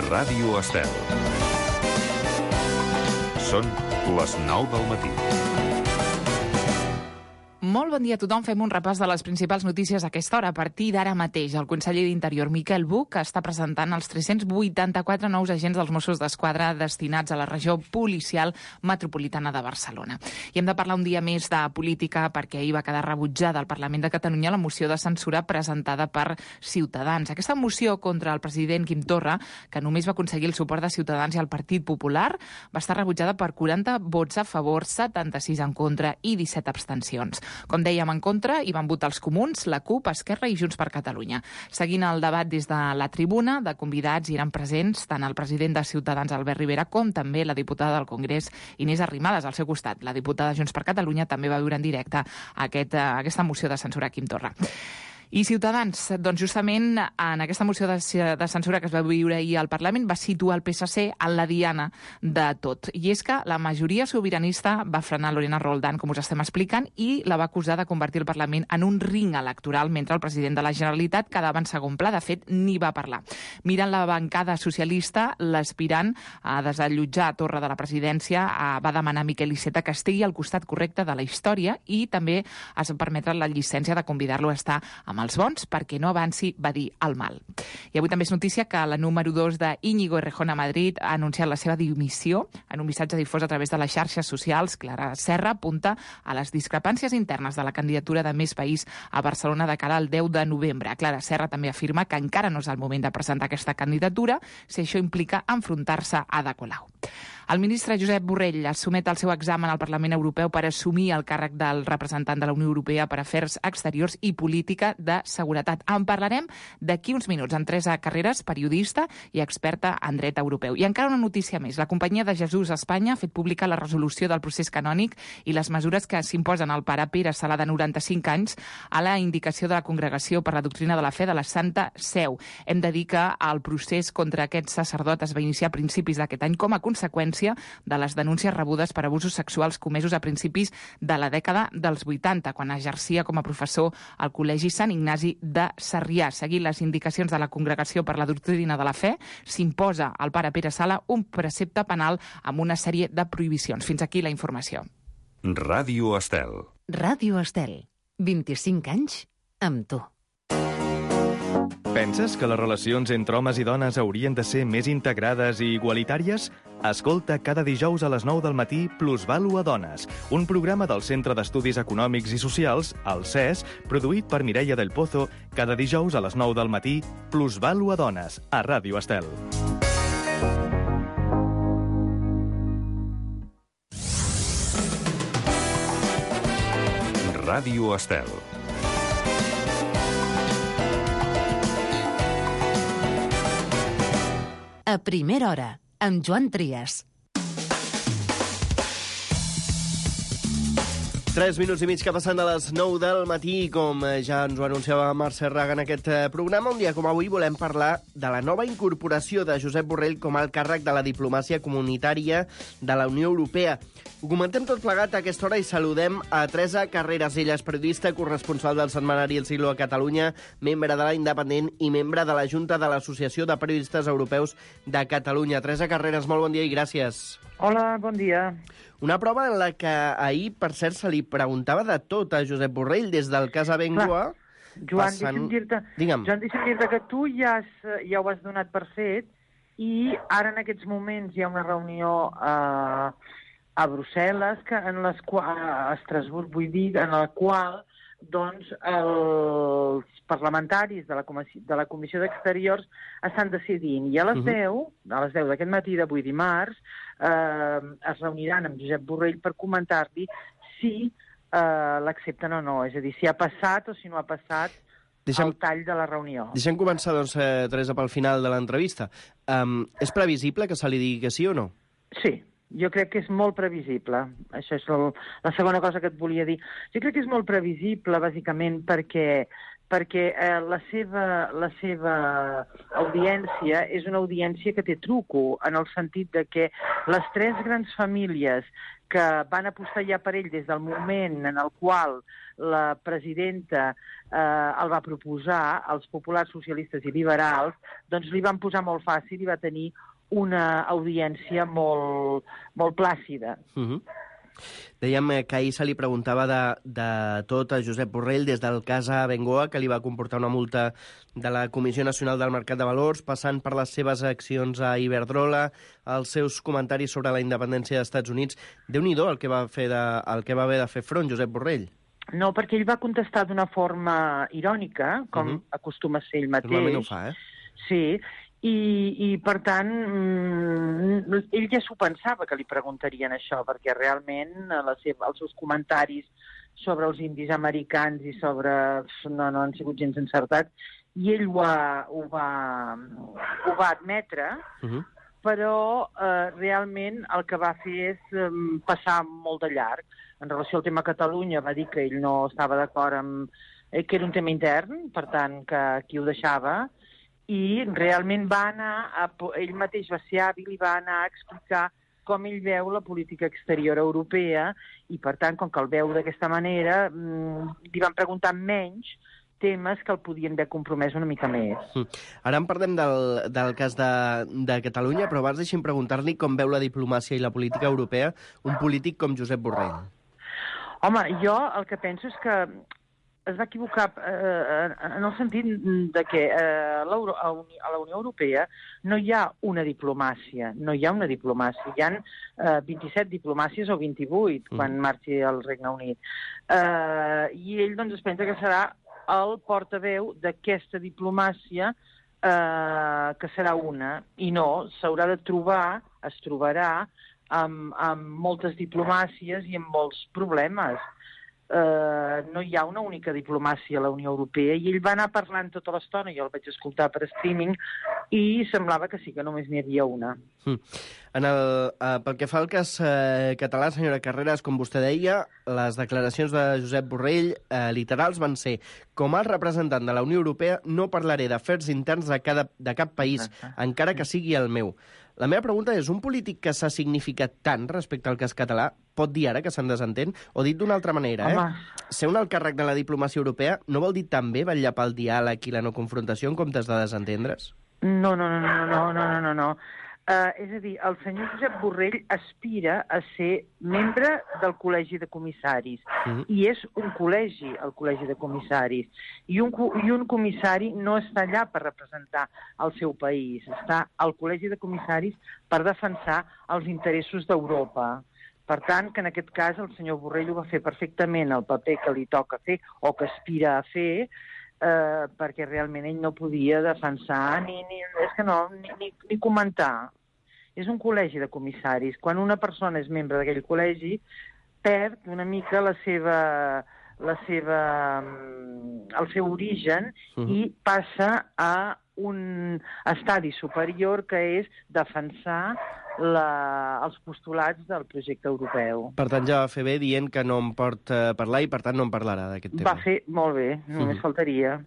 Ràdio Estel. Són les 9 del matí. Molt bon dia a tothom. Fem un repàs de les principals notícies a aquesta hora. A partir d'ara mateix, el conseller d'Interior, Miquel Buch, està presentant els 384 nous agents dels Mossos d'Esquadra destinats a la regió policial metropolitana de Barcelona. I hem de parlar un dia més de política perquè ahir va quedar rebutjada al Parlament de Catalunya la moció de censura presentada per Ciutadans. Aquesta moció contra el president Quim Torra, que només va aconseguir el suport de Ciutadans i el Partit Popular, va estar rebutjada per 40 vots a favor, 76 en contra i 17 abstencions. Com dèiem, en contra hi van votar els Comuns, la CUP, Esquerra i Junts per Catalunya. Seguint el debat des de la tribuna, de convidats hi eren presents tant el president de Ciutadans, Albert Rivera, com també la diputada del Congrés, Inés Arrimadas, al seu costat. La diputada de Junts per Catalunya també va viure en directe aquesta moció de censura a Quim Torra. I Ciutadans, doncs justament en aquesta moció de censura que es va viure ahir al Parlament va situar el PSC en la diana de tot. I és que la majoria sobiranista va frenar Lorena Roldán, com us estem explicant, i la va acusar de convertir el Parlament en un ring electoral mentre el president de la Generalitat quedava en segon pla. De fet, ni va parlar. Mirant la bancada socialista, l'aspirant a desallotjar Torra de la presidència va demanar a Miquel Iceta que estigui al costat correcte de la història i també es va permetre la llicència de convidar-lo a estar amb els bons perquè no avanci, va dir, el mal. I avui també és notícia que la número 2 de Íñigo Errejón a Madrid ha anunciat la seva dimissió. En un missatge difós a través de les xarxes socials, Clara Serra apunta a les discrepàncies internes de la candidatura de Més País a Barcelona de cara al 10 de novembre. Clara Serra també afirma que encara no és el moment de presentar aquesta candidatura si això implica enfrontar-se a Ada Colau. El ministre Josep Borrell es somet al seu examen al Parlament Europeu per assumir el càrrec del representant de la Unió Europea per Afers Exteriors i Política de Seguretat. En parlarem d'aquí uns minuts amb Teresa Carreras, periodista i experta en dret europeu. I encara una notícia més. La Companyia de Jesús a Espanya ha fet pública la resolució del procés canònic i les mesures que s'imposen al pare Pere Sala, de 95 anys, a la indicació de la Congregació per la Doctrina de la Fe de la Santa Seu. Hem de dir que el procés contra aquest sacerdot es va iniciar a principis d'aquest any com a conseqüència de les denúncies rebudes per abusos sexuals comesos a principis de la dècada dels 80, quan exercia com a professor al Col·legi Sant Ignasi de Sarrià. Seguint les indicacions de la Congregació per la Doctrina de la Fe, s'imposa al pare Pere Sala un precepte penal amb una sèrie de prohibicions. Fins aquí la informació. Ràdio Estel. Ràdio Estel. 25 anys amb tu. Penses que les relacions entre homes i dones haurien de ser més integrades i igualitàries? Escolta cada dijous a les 9 del matí Plusvàlua Dones, un programa del Centre d'Estudis Econòmics i Socials, el CES, produït per Mireia del Pozo, cada dijous a les 9 del matí Plusvàlua Dones, a Ràdio Estel. Ràdio Estel. A primera hora, amb Joan Trias. 3 minuts i mig que passen de les 9 del matí, com ja ens ho anunciava Mercè Raga en aquest programa. Un dia com avui volem parlar de la nova incorporació de Josep Borrell com a alt càrrec de la diplomàcia comunitària de la Unió Europea. Ho comentem tot plegat a aquesta hora i saludem a Teresa Carreras. Ella és periodista, corresponsal del setmanari El Siglo a Catalunya, membre de La Independent i membre de la Junta de l'Associació de Periodistes Europeus de Catalunya. Teresa Carreras, molt bon dia i gràcies. Hola, bon dia. Una prova en la que ahir, per cert, se li preguntava de tot a Josep Borrell, des del cas Abengoa... Joan, deixa'm dir-te que tu ja ho has donat per fet i ara en aquests moments hi ha una reunió a Brussel·les, a Estrasburg, vull dir, en la qual doncs, els parlamentaris de la Comissió d'Exteriors estan decidint. I a les 10 d'aquest matí d'avui dimarts, es reuniran amb Josep Borrell per comentar-li si l'accepten o no. És a dir, si ha passat o si no ha passat el tall de la reunió. Deixem començar, doncs, Teresa, pel final de l'entrevista. És previsible que se li digui que sí o no? Sí. Jo crec que és molt previsible. Això és la segona cosa que et volia dir. Jo crec que és molt previsible, bàsicament, perquè la seva audiència és una audiència que té truco, en el sentit de que Les 3 grans famílies que van apostar ja per ell des del moment en el qual la presidenta el va proposar, els populars, socialistes i liberals, doncs li van posar molt fàcil i va tenir una audiència molt plàcida. Dèiem que ahir se li preguntava de tot a Josep Borrell, des del cas Abengoa, que li va comportar una multa de la Comissió Nacional del Mercat de Valors, passant per les seves accions a Iberdrola, els seus comentaris sobre la independència dels Estats Units. Déu-n'hi-do el que va haver de fer front Josep Borrell. No, perquè ell va contestar d'una forma irònica, com acostuma a ser ell mateix. Normalment ho fa, Sí, i per tant, ell ja s'ho pensava que li preguntarien això, perquè realment els seus comentaris sobre els indis americans i sobre... no han sigut gens encertats, i ell ho va admetre, però realment el que va fer és passar molt de llarg. En relació al tema Catalunya va dir que ell no estava d'acord amb... que era un tema intern, per tant, que aquí ho deixava, i realment va anar, ell mateix va ser hàbil i va anar a explicar com ell veu la política exterior europea, i per tant, com que el veu d'aquesta manera, li van preguntar menys temes que el podien haver compromès una mica més. Ara en parlem del cas de Catalunya, però abans deixi'm preguntar-li com veu la diplomàcia i la política europea un polític com Josep Borrell. Home, jo el que penso és que es va equivocar en el sentit de que a la Unió Europea no hi ha una diplomàcia, hi ha 27 diplomàcies o 28 quan marxi el Regne Unit. I ell doncs es pensa que serà el portaveu d'aquesta diplomàcia que serà una, i no, s'haurà de trobar, es trobarà amb moltes diplomàcies i amb molts problemes. No hi ha una única diplomàcia a la Unió Europea, i ell va anar parlant tota l'estona, jo el vaig escoltar per streaming, i semblava que sí, que només n'hi havia una. Pel que fa al cas català, senyora Carreras, com vostè deia, les declaracions de Josep Borrell literals van ser: com a representant de la Unió Europea no parlaré d'afers interns de cap país, encara que sigui el meu. La meva pregunta és, un polític que s'ha significat tant respecte al cas català pot dir ara que se'n desentén? O dit d'una altra manera, ser un alt càrrec de la diplomàcia europea no vol dir també vetllar pel diàleg i la no confrontació en comptes de desentendre's? No. És a dir, el senyor Josep Borrell aspira a ser membre del Col·legi de Comissaris. I és un col·legi, el Col·legi de Comissaris. I un comissari no està allà per representar el seu país. Està al Col·legi de Comissaris per defensar els interessos d'Europa. Per tant, que en aquest cas el senyor Borrell ho va fer perfectament, el paper que li toca fer o que aspira a fer, perquè realment ell no podia defensar ni comentar. És un col·legi de comissaris. Quan una persona és membre d'aquell col·legi, perd una mica el seu origen i passa a un estadi superior, que és defensar els postulats del projecte europeu. Per tant, ja va fer bé dient que no em pot parlar i, per tant, no en parlarà d'aquest tema. Va fer molt bé, només faltaria.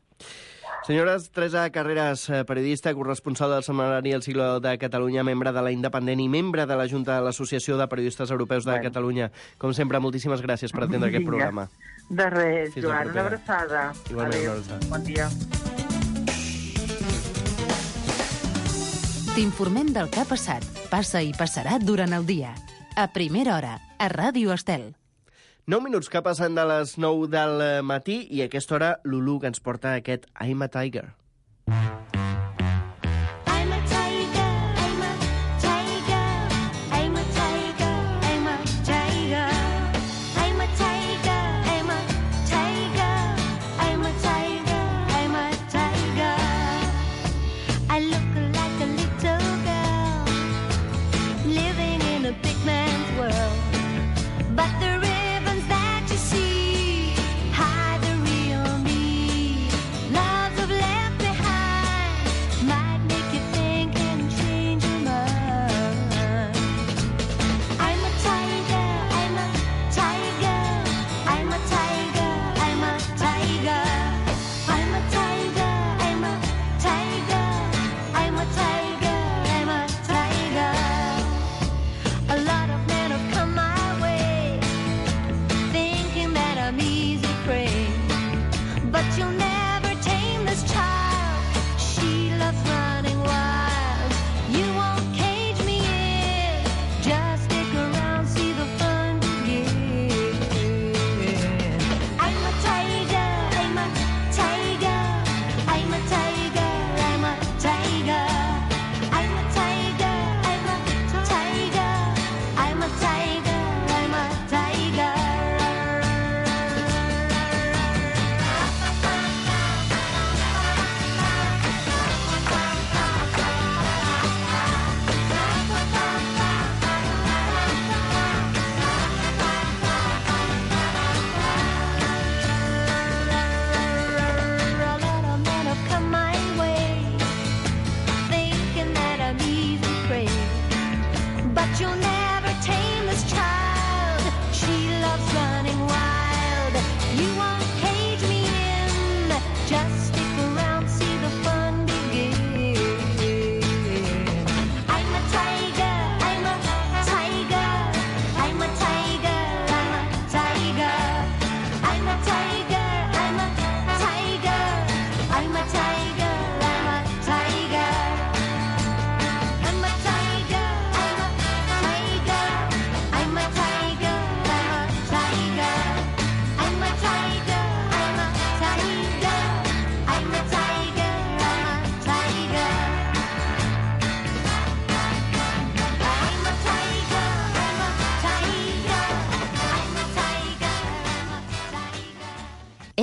Senyores, Teresa Carreras, periodista, corresponsal del setmanari El Siglo de Catalunya, membre de La Independent i membre de la Junta de l'Associació de Periodistes Europeus de Catalunya. Com sempre, moltíssimes gràcies per atendre aquest programa. De res, Joan, una abraçada. Igualment, una abraçada. Bon dia. T'informem del que ha passat, passa i passarà durant el dia. A primera hora, a Ràdio Estel. 9 minuts que passen de les 9 del matí i a aquesta hora Lulu, que ens porta aquest I'm a Tiger.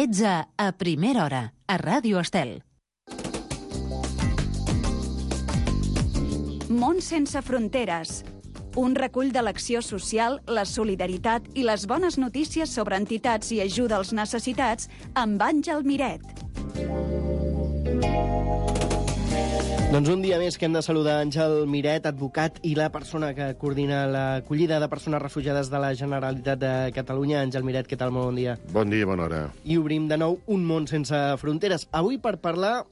Ets a Primera Hora, a Ràdio Estel. Món sense fronteres. Un recull de l'acció social, la solidaritat i les bones notícies sobre entitats i ajuda als necessitats amb Àngel Miret. Doncs un dia més que hem de saludar Àngel Miret, advocat i la persona que coordina l'acollida de persones refugiades de la Generalitat de Catalunya. Àngel Miret, què tal? Molt bon dia. Bon dia, bona hora. I obrim de nou Un món sense fronteres. Avui per parlar...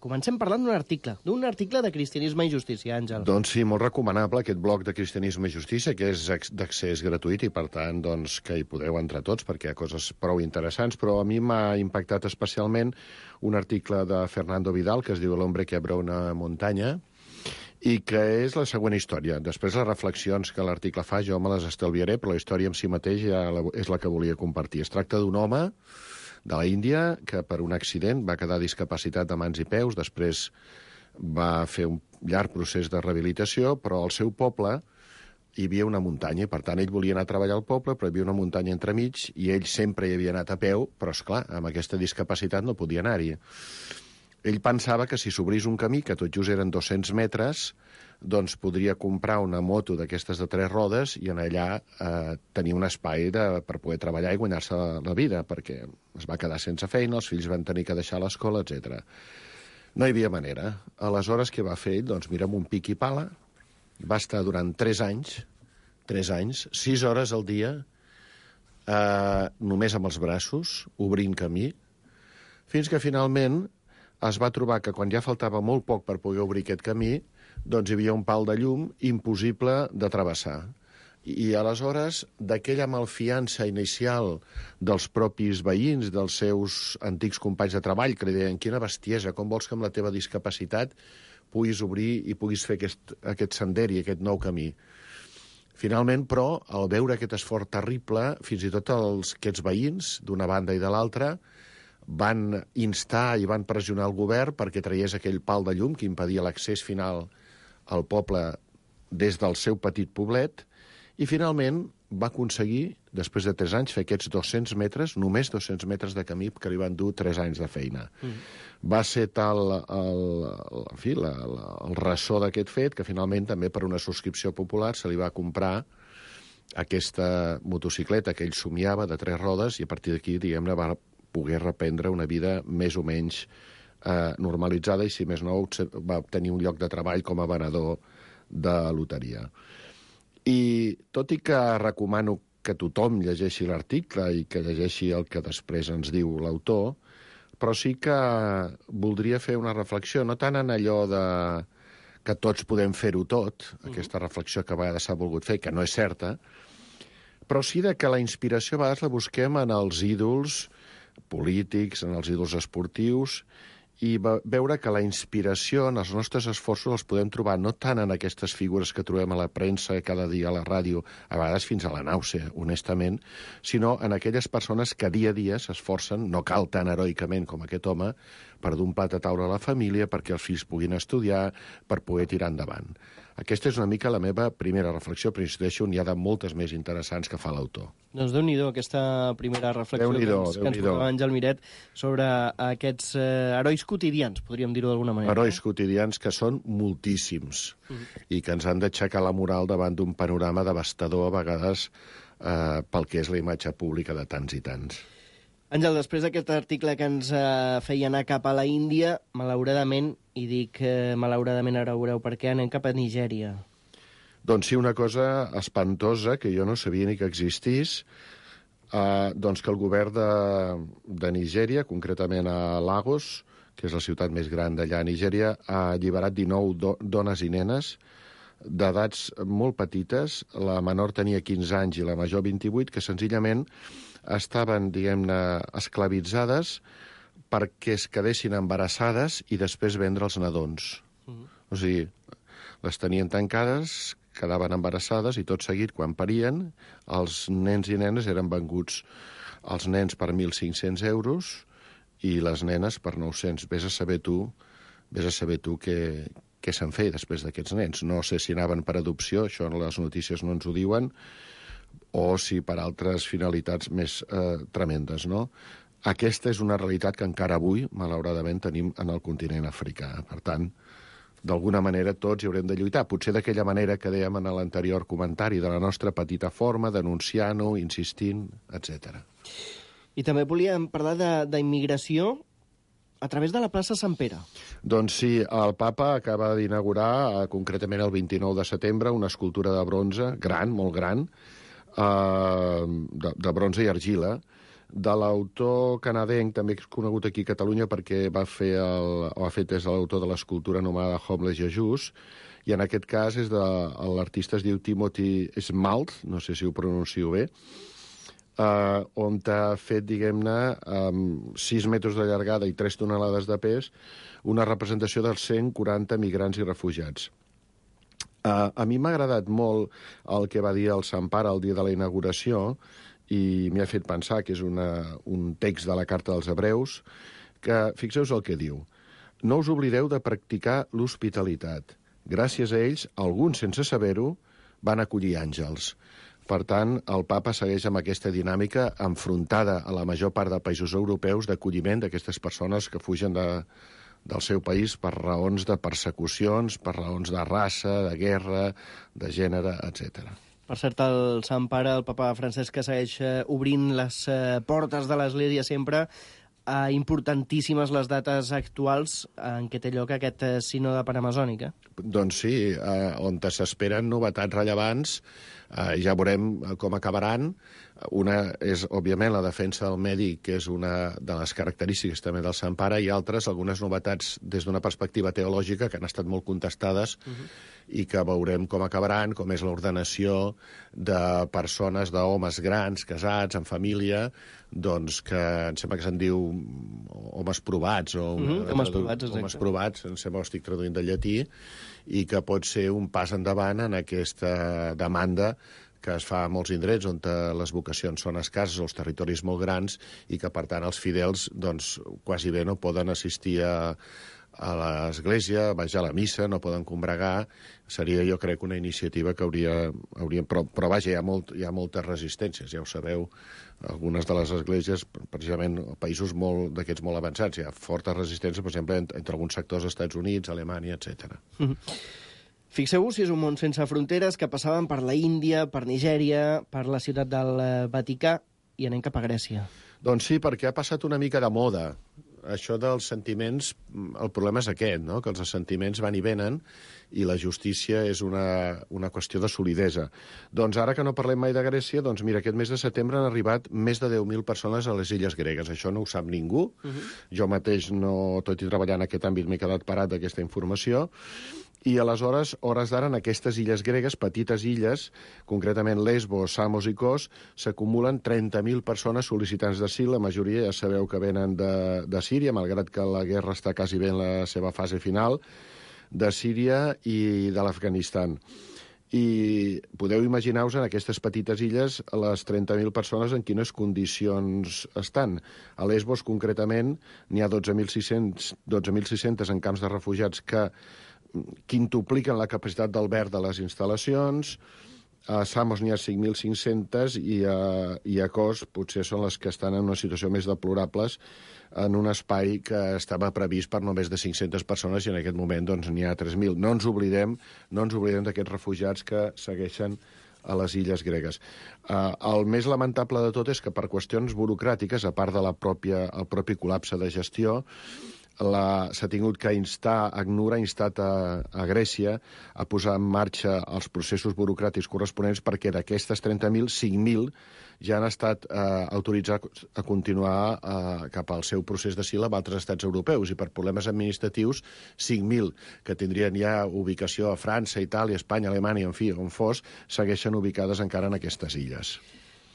Comencem parlant d'un article de Cristianisme i Justícia, Àngel. Doncs sí, molt recomanable aquest blog de Cristianisme i Justícia, que és d'accés gratuït i, per tant, doncs, que hi podeu entrar tots perquè hi ha coses prou interessants, però a mi m'ha impactat especialment un article de Fernando Vidal que es diu L'hombre que abre una muntanya i que és la següent història. Després les reflexions que l'article fa jo me les estalviaré, però la història en si mateix ja és la que volia compartir. Es tracta d'un home de la Índia, que per un accident va quedar discapacitat de mans i peus, després va fer un llarg procés de rehabilitació, però al seu poble hi havia una muntanya, i per tant ell volia anar a treballar al poble, però hi havia una muntanya entremig, i ell sempre hi havia anat a peu, però esclar, amb aquesta discapacitat no podia anar-hi. Ell pensava que si s'obrís un camí, que tot just eren 200 metres, doncs podria comprar una moto d'aquestes de 3 rodes i en allà tenir un espai per poder treballar i guanyar-se la vida, perquè es va quedar sense feina, els fills van tenir que deixar l'escola, etc. No hi havia manera. Aleshores, què va fer ell? Doncs mira, amb un pic i pala, va estar durant 3 anys, 6 hores al dia, només amb els braços, obrint camí, fins que finalment es va trobar que quan ja faltava molt poc per poder obrir aquest camí, doncs hi havia un pal de llum impossible de travessar. I aleshores, d'aquella malfiança inicial dels propis veïns, dels seus antics companys de treball, que li deien, quina bestiesa, com vols que amb la teva discapacitat puguis obrir i puguis fer aquest sender i aquest nou camí. Finalment, però, al veure aquest esforç terrible, fins i tot aquests veïns, d'una banda i de l'altra, van instar i van pressionar el govern perquè traiés aquell pal de llum que impedia l'accés final al poble des del seu petit poblet, i finalment va aconseguir, després de 3 anys, fer aquests 200 metres, només 200 metres de camí que li van dur 3 anys de feina. Va ser tal el ressò d'aquest fet que finalment també per una subscripció popular se li va comprar aquesta motocicleta que ell somiava de 3 rodes i a partir d'aquí, diguem-ne, va poder reprendre una vida més o menys normalitzada i, si més no, va obtenir un lloc de treball com a venedor de loteria. I tot i que recomano que tothom llegeixi l'article i que llegeixi el que després ens diu l'autor, però sí que voldria fer una reflexió, no tant en allò de que tots podem fer-ho tot, aquesta reflexió que a vegades s'ha volgut fer, que no és certa, però sí que la inspiració a vegades la busquem en els ídols polítics, en els ídols esportius, i veure que la inspiració en els nostres esforços els podem trobar no tant en aquestes figures que trobem a la premsa cada dia a la ràdio, a vegades fins a la nàusea, honestament, sinó en aquelles persones que dia a dia s'esforcen, no cal tan heroicament com aquest home, per d'un plat a taula a la família, perquè els fills puguin estudiar, per poder tirar endavant. Aquesta és una mica la meva primera reflexió, però insisteixo, n'hi ha de moltes més interessants que fa l'autor. Doncs Déu-n'hi-do, aquesta primera reflexió que ens portava Àngel Miret sobre aquests herois quotidians, podríem dir-ho d'alguna manera. Herois quotidians que són moltíssims i que ens han d'aixecar la moral davant d'un panorama devastador, a vegades, pel que és la imatge pública de tants i tants. Àngel, després d'aquest article que ens feia anar cap a la Índia, malauradament, i dic malauradament, ara veureu per què, anem cap a Nigèria. Doncs sí, una cosa espantosa que jo no sabia ni que existís, doncs que el govern de Nigèria, concretament a Lagos, que és la ciutat més gran d'allà a Nigèria, ha alliberat 19 dones i nenes d'edats molt petites, la menor tenia 15 anys i la major 28, que senzillament estaven, diguem-ne, esclavitzades perquè es quedessin embarassades i després vendre els nadons. O sigui, les tenien tancades, quedaven embarassades i tot seguit, quan parien, els nens i nenes eren venguts, els nens per 1.500 euros i les nenes per 900. Vés a saber tu què se'n feia després d'aquests nens. No sé si anaven per adopció, això les notícies no ens ho diuen, o si per altres finalitats més tremendes, no? Aquesta és una realitat que encara avui, malauradament, tenim en el continent africà. Per tant, d'alguna manera tots hi haurem de lluitar. Potser d'aquella manera que dèiem en l'anterior comentari, de la nostra petita forma, denunciant-ho, insistint, etc. I també volíem parlar d'immigració a través de la plaça Sant Pere. Doncs sí, el papa acaba d'inaugurar, concretament el 29 de setembre, una escultura de bronze, gran, molt gran, de bronze i argila, de l'autor canadenc, també conegut aquí a Catalunya perquè ha fet és l'autor de l'escultura anomenada Homeless Jesus, i en aquest cas és l'artista es diu Timothy Smalt, no sé si ho pronuncio bé, on ha fet, diguem-ne, 6 metres de llargada i 3 tonelades de pes, una representació dels 140 migrants i refugiats. A mi m'ha agradat molt el que va dir el Sant Pare el dia de la inauguració, i m'ha fet pensar que és un text de la Carta dels Hebreus, que fixeu-vos el que diu. No us oblideu de practicar l'hospitalitat. Gràcies a ells, alguns sense saber-ho, van acollir àngels. Per tant, el papa segueix amb aquesta dinàmica enfrontada a la major part de països europeus d'acolliment d'aquestes persones que fugen del seu país per raons de persecucions, per raons de raça, de guerra, de gènere, etc. Per cert, el Sant Pare, el papa Francesc, que segueix obrint les portes de l'Església sempre, importantíssimes les dates actuals en què té lloc aquest sínode panamazònic. Doncs sí, on s'esperen novetats rellevants, ja veurem com acabaran. Una és, òbviament, la defensa del medi, que és una de les característiques també del Sant Pare, i altres, algunes novetats des d'una perspectiva teològica que han estat molt contestades i que veurem com acabaran, com és l'ordenació de persones, d'homes grans, casats, en família, doncs que em sembla que se'n diu homes provats, o homes provats, exacte. Homes provats, em sembla que ho estic traduint del llatí, i que pot ser un pas endavant en aquesta demanda que es fa a molts indrets on les vocacions són escasses o els territoris molt grans i que, per tant, els fidels doncs, quasi bé no poden assistir a l'església, baixar a la missa, no poden combregar. Seria, jo crec, una iniciativa que hauríem... Però vaja, hi ha moltes resistències, ja ho sabeu. Algunes de les esglésies, precisament, països d'aquests molt avançats, hi ha fortes resistències, per exemple, entre alguns sectors dels Estats Units, Alemanya, etc. Fixeu-vos si és un món sense fronteres, que passaven per la Índia, per Nigèria, per la ciutat del Vaticà, i anem cap a Grècia. Doncs sí, perquè ha passat una mica de moda. Això dels sentiments, el problema és aquest, no? Que els sentiments van i venen i la justícia és una qüestió de solidesa. Doncs ara que no parlem mai de Grècia, doncs mira, aquest mes de setembre han arribat més de 10.000 persones a les illes gregues. Això no ho sap ningú. Jo mateix, tot i treballar en aquest àmbit, m'he quedat parat d'aquesta informació. I aleshores, hores d'ara, en aquestes illes gregues, petites illes, concretament Lesbos, Samos i Kos, s'acumulen 30.000 persones sol·licitants d'asil. La majoria ja sabeu que venen de Síria, malgrat que la guerra està quasi bé en la seva fase final, de Síria i de l'Afganistan. I podeu imaginar-vos en aquestes petites illes les 30.000 persones en quines condicions estan. A Lesbos, concretament, n'hi ha 12.600 en camps de refugiats que quintupliquen la capacitat d'alberg de les instal·lacions. A Samos n'hi ha 5.500 i a Kos potser són les que estan en una situació més deplorables en un espai que estava previst per només de 500 persones i en aquest moment doncs, n'hi ha 3.000. No ens oblidem d'aquests refugiats que segueixen a les illes gregues. El més lamentable de tot és que per qüestions burocràtiques, a part del propi col·lapse de gestió, s'ha tingut que ACNUR ha instat a Grècia a posar en marxa els processos burocràtics corresponents perquè d'aquestes 30.000, 5.000 ja han estat autoritzats a continuar cap al seu procés d'asil amb altres estats europeus i per problemes administratius 5.000 que tindrien ja ubicació a França, Itàlia, Espanya, Alemanya, en fi, on fos, segueixen ubicades encara en aquestes illes.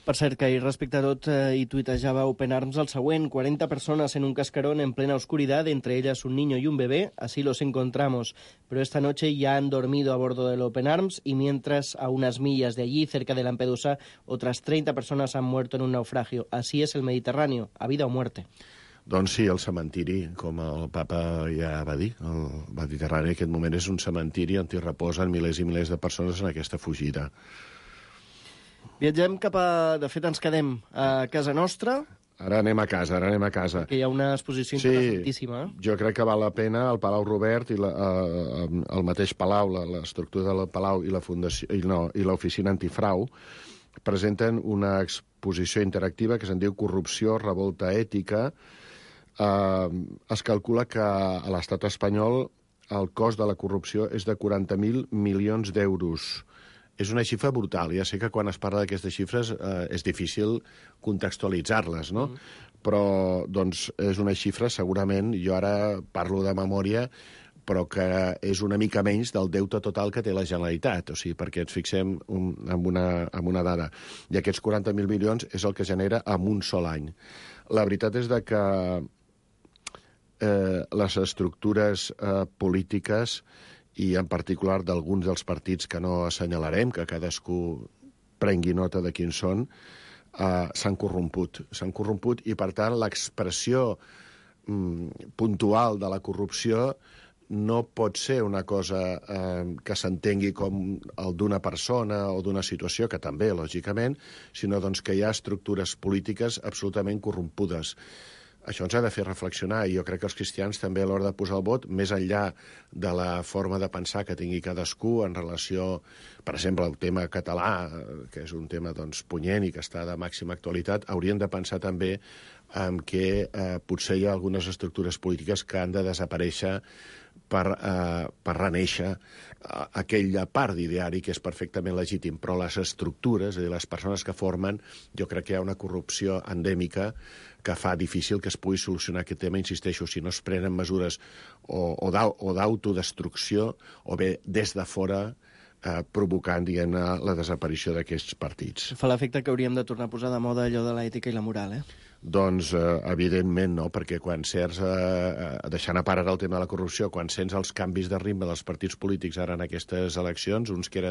Per cert, que respecte a tot, hi tuitejava Open Arms el següent: 40 personas en un cascarón en plena oscuridad, entre ellas un niño y un bebé, así los encontramos. Pero esta noche ya han dormido a bordo del Open Arms y mientras a unas millas de allí, cerca de Lampedusa, otras 30 personas han muerto en un naufragio. Así es el Mediterráneo, a vida o muerte. Doncs sí, el cementiri, com el papa ja va dir, el Mediterrani en aquest moment és un cementiri on hi reposen milers i milers de persones en aquesta fugida. Viatgem cap a... De fet, ens quedem a casa nostra, Ara anem a casa. Perquè hi ha una exposició interessantíssima. Jo crec que val la pena el Palau Robert i el mateix Palau, l'estructura del Palau i la fundació i l'oficina antifrau presenten una exposició interactiva que se'n diu Corrupció, revolta ètica. Es calcula que a l'estat espanyol el cost de la corrupció és de 40.000 milions d'euros. És una xifra brutal. Ja sé que quan es parla d'aquestes xifres és difícil contextualitzar-les, no? Però doncs, és una xifra, segurament, jo ara parlo de memòria, però que és una mica menys del deute total que té la Generalitat, o sigui, perquè ens fixem en una dada. I aquests 40.000 milions és el que genera en un sol any. La veritat és que les estructures polítiques i en particular d'alguns dels partits que no assenyalarem, que cadascú prengui nota de quins són, s'han corromput. I, per tant, l'expressió puntual de la corrupció no pot ser una cosa que s'entengui com el d'una persona o d'una situació, que també, lògicament, sinó doncs, que hi ha estructures polítiques absolutament corrompudes. Això ens ha de fer reflexionar, i jo crec que els cristians també a l'hora de posar el vot, més enllà de la forma de pensar que tingui cadascú en relació, per exemple, al tema català, que és un tema doncs, punyent i que està de màxima actualitat, haurien de pensar també en què potser hi ha algunes estructures polítiques que han de desaparèixer per renéixer aquella part d'ideari que és perfectament legítim, però les estructures, és a dir, les persones que formen, jo crec que hi ha una corrupció endèmica que fa difícil que es pugui solucionar aquest tema. Insisteixo, si no es prenen mesures o d'autodestrucció o bé des de fora provocant, diguem-ne, la desaparició d'aquests partits. Fa l'efecte que hauríem de tornar a posar de moda allò de l'ètica i la moral, Doncs, evidentment, no, perquè quan sents, deixant a part ara el tema de la corrupció, quan sents els canvis de ritme dels partits polítics ara en aquestes eleccions, uns que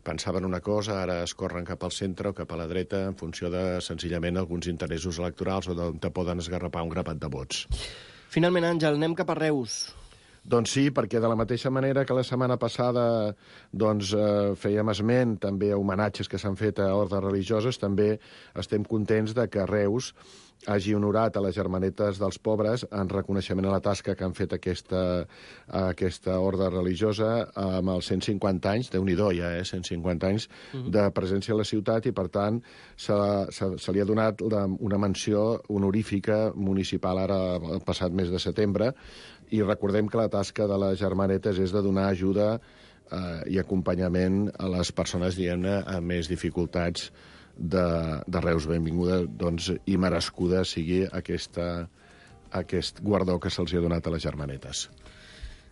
pensaven una cosa, ara es corren cap al centre o cap a la dreta en funció de, senzillament, alguns interessos electorals o d'on te poden esgarrapar un grapat de vots. Finalment, Àngel, anem cap a Reus. Doncs sí, perquè de la mateixa manera que la setmana passada fèiem esment també a homenatges que s'han fet a ordes religioses, també estem contents de que Reus hagi honorat a les Germanetes dels Pobres en reconeixement a la tasca que han fet aquesta orde religiosa amb els 150 anys, Déu-n'hi-do ja, 150 anys de presència a la ciutat, i per tant se li ha donat una menció honorífica municipal ara el passat mes de setembre. I recordem que la tasca de les Germanetes és de donar ajuda i acompanyament a les persones, diguem-ne, amb més dificultats de Reus. Benvinguda, doncs, i merescuda sigui aquest guardó que se'ls ha donat a les Germanetes.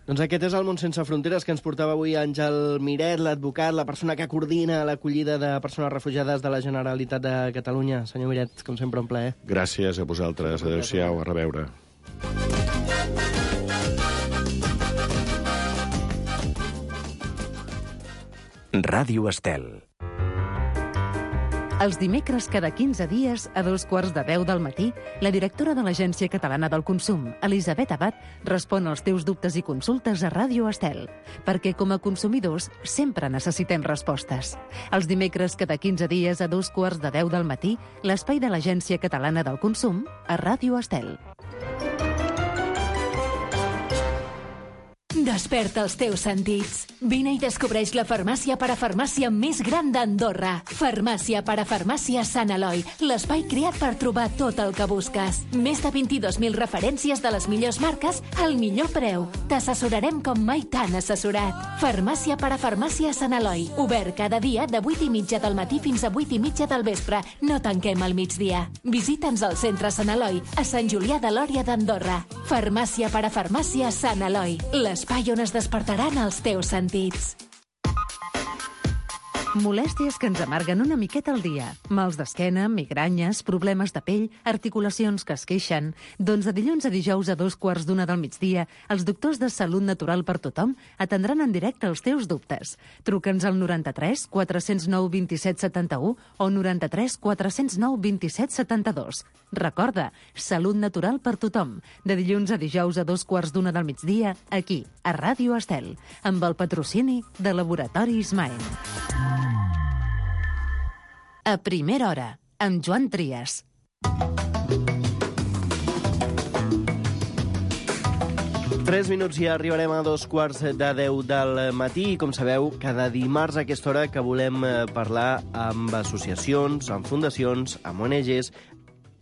Doncs aquest és el Món Sense Fronteres que ens portava avui Àngel Miret, l'advocat, la persona que coordina l'acollida de persones refugiades de la Generalitat de Catalunya. Senyor Miret, com sempre, un plaer. Gràcies a vosaltres. Adéu-siau, a reveure. Ràdio Estel. Els dimecres cada 15 dies, a 9:15 del matí, la directora de l'Agència Catalana del Consum, Elisabet Abad, respon als teus dubtes i consultes a Ràdio Estel, perquè com a consumidors sempre necessitem respostes. Els dimecres cada 15 dies, a 9:15 del matí, l'espai de l'Agència Catalana del Consum a Ràdio Estel. Desperta els teus sentits. Vine i descobreix la farmàcia parafarmàcia més gran d'Andorra. Farmàcia parafarmàcia Sant Eloi, l'espai creat per trobar tot el que busques. Més de 22.000 referències de les millors marques al millor preu. T'assessorarem com mai t'han assessorat. Farmàcia parafarmàcia Sant Eloi, obert cada dia de 8:30 del matí fins a 8:30 del vespre. No tanquem al migdia. Visita'ns al centre Sant Eloi, a Sant Julià de Lòria d'Andorra. Farmàcia parafarmàcia Sant Eloi, l'espai on es despertaran els teus sentits. Molèsties que ens amarguen una miqueta al dia. Mals d'esquena, migranyes, problemes de pell, articulacions que es queixen. Doncs de dilluns a dijous a 2:15 del migdia, els doctors de Salut Natural per Tothom atendran en directe els teus dubtes. Truca'ns al 93 409 27 71 o 93 409 27 72. Recorda, Salut Natural per Tothom, de dilluns a dijous a 2:15 del migdia, aquí, a Ràdio Estel, amb el patrocini de Laboratori Ismael. A primera hora, amb Joan Trias. Tres minuts i arribarem a 2:45 del matí. Com sabeu, cada dimarts a aquesta hora que volem parlar amb associacions, amb fundacions, amb ONGs,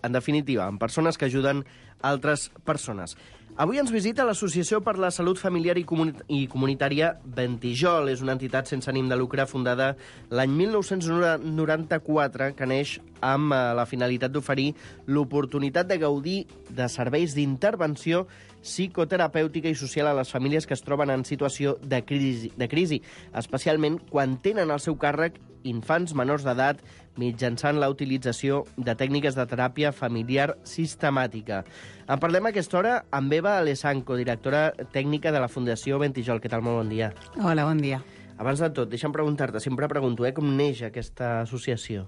en definitiva, amb persones que ajuden altres persones. Avui ens visita l'Associació per la Salut Familiar i Comunitària Ventijol. És una entitat sense ànim de lucre fundada l'any 1994 que neix amb la finalitat d'oferir l'oportunitat de gaudir de serveis d'intervenció psicoterapèutica i social a les famílies que es troben en situació de crisi, especialment quan tenen al seu càrrec infants menors d'edat mitjançant la utilització de tècniques de teràpia familiar sistemàtica. En parlem a aquesta hora amb Eva Alessanco, directora tècnica de la Fundació Ventijol. Què tal? Molt bon dia. Hola, bon dia. Abans de tot, deixa'm preguntar-te, sempre pregunto, com neix aquesta associació?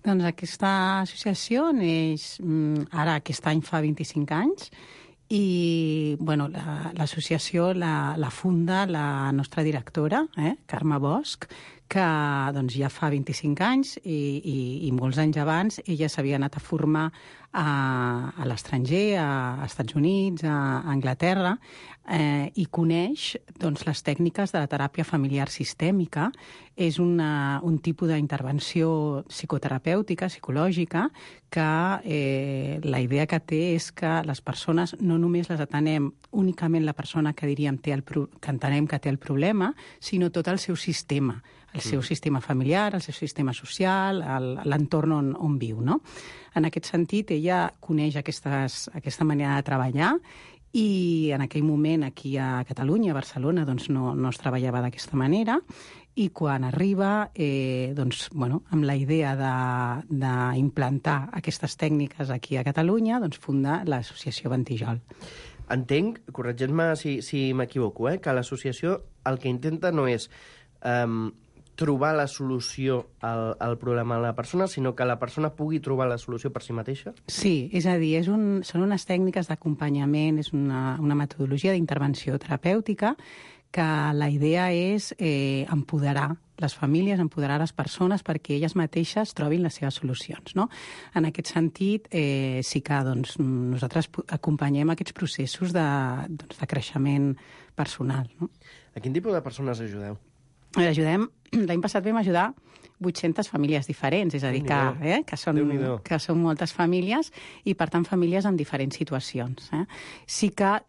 Doncs aquesta associació neix ara, aquest any fa 25 anys, i bueno, l'associació la funda la nostra directora, Carme Bosch, que doncs, ja fa 25 anys i molts anys abans ella s'havia anat a formar a l'estranger, a Estats Units, a Anglaterra, i coneix doncs, les tècniques de la teràpia familiar sistèmica. És un tipus d'intervenció psicoterapèutica, psicològica, que la idea que té és que les persones no només les atenem únicament la persona que diríem que entenem que té el problema, sinó tot el seu sistema, el seu sistema familiar, el seu sistema social, l'entorn on viu, no? En aquest sentit, ella coneix aquesta manera de treballar i en aquell moment aquí a Catalunya, a Barcelona, doncs no es treballava d'aquesta manera, i quan arriba, doncs, bueno, amb la idea d'implantar aquestes tècniques aquí a Catalunya, doncs funda l'Associació Ventijol. Entenc, corregeix-me si m'equivoco, que l'associació el que intenta no és trobar la solució al problema de la persona, sinó que la persona pugui trobar la solució per si mateixa? Sí, és a dir, són unes tècniques d'acompanyament, és una metodologia d'intervenció terapèutica que la idea és empoderar les famílies, empoderar les persones perquè elles mateixes trobin les seves solucions, no? En aquest sentit, sí que doncs, nosaltres acompanyem aquests processos de creixement personal, no? A quin tipus de persones ajudeu? L'any passat vam ajudar 800 famílies diferents, és a dir, que són moltes famílies i, per tant, famílies en diferents situacions. Sí que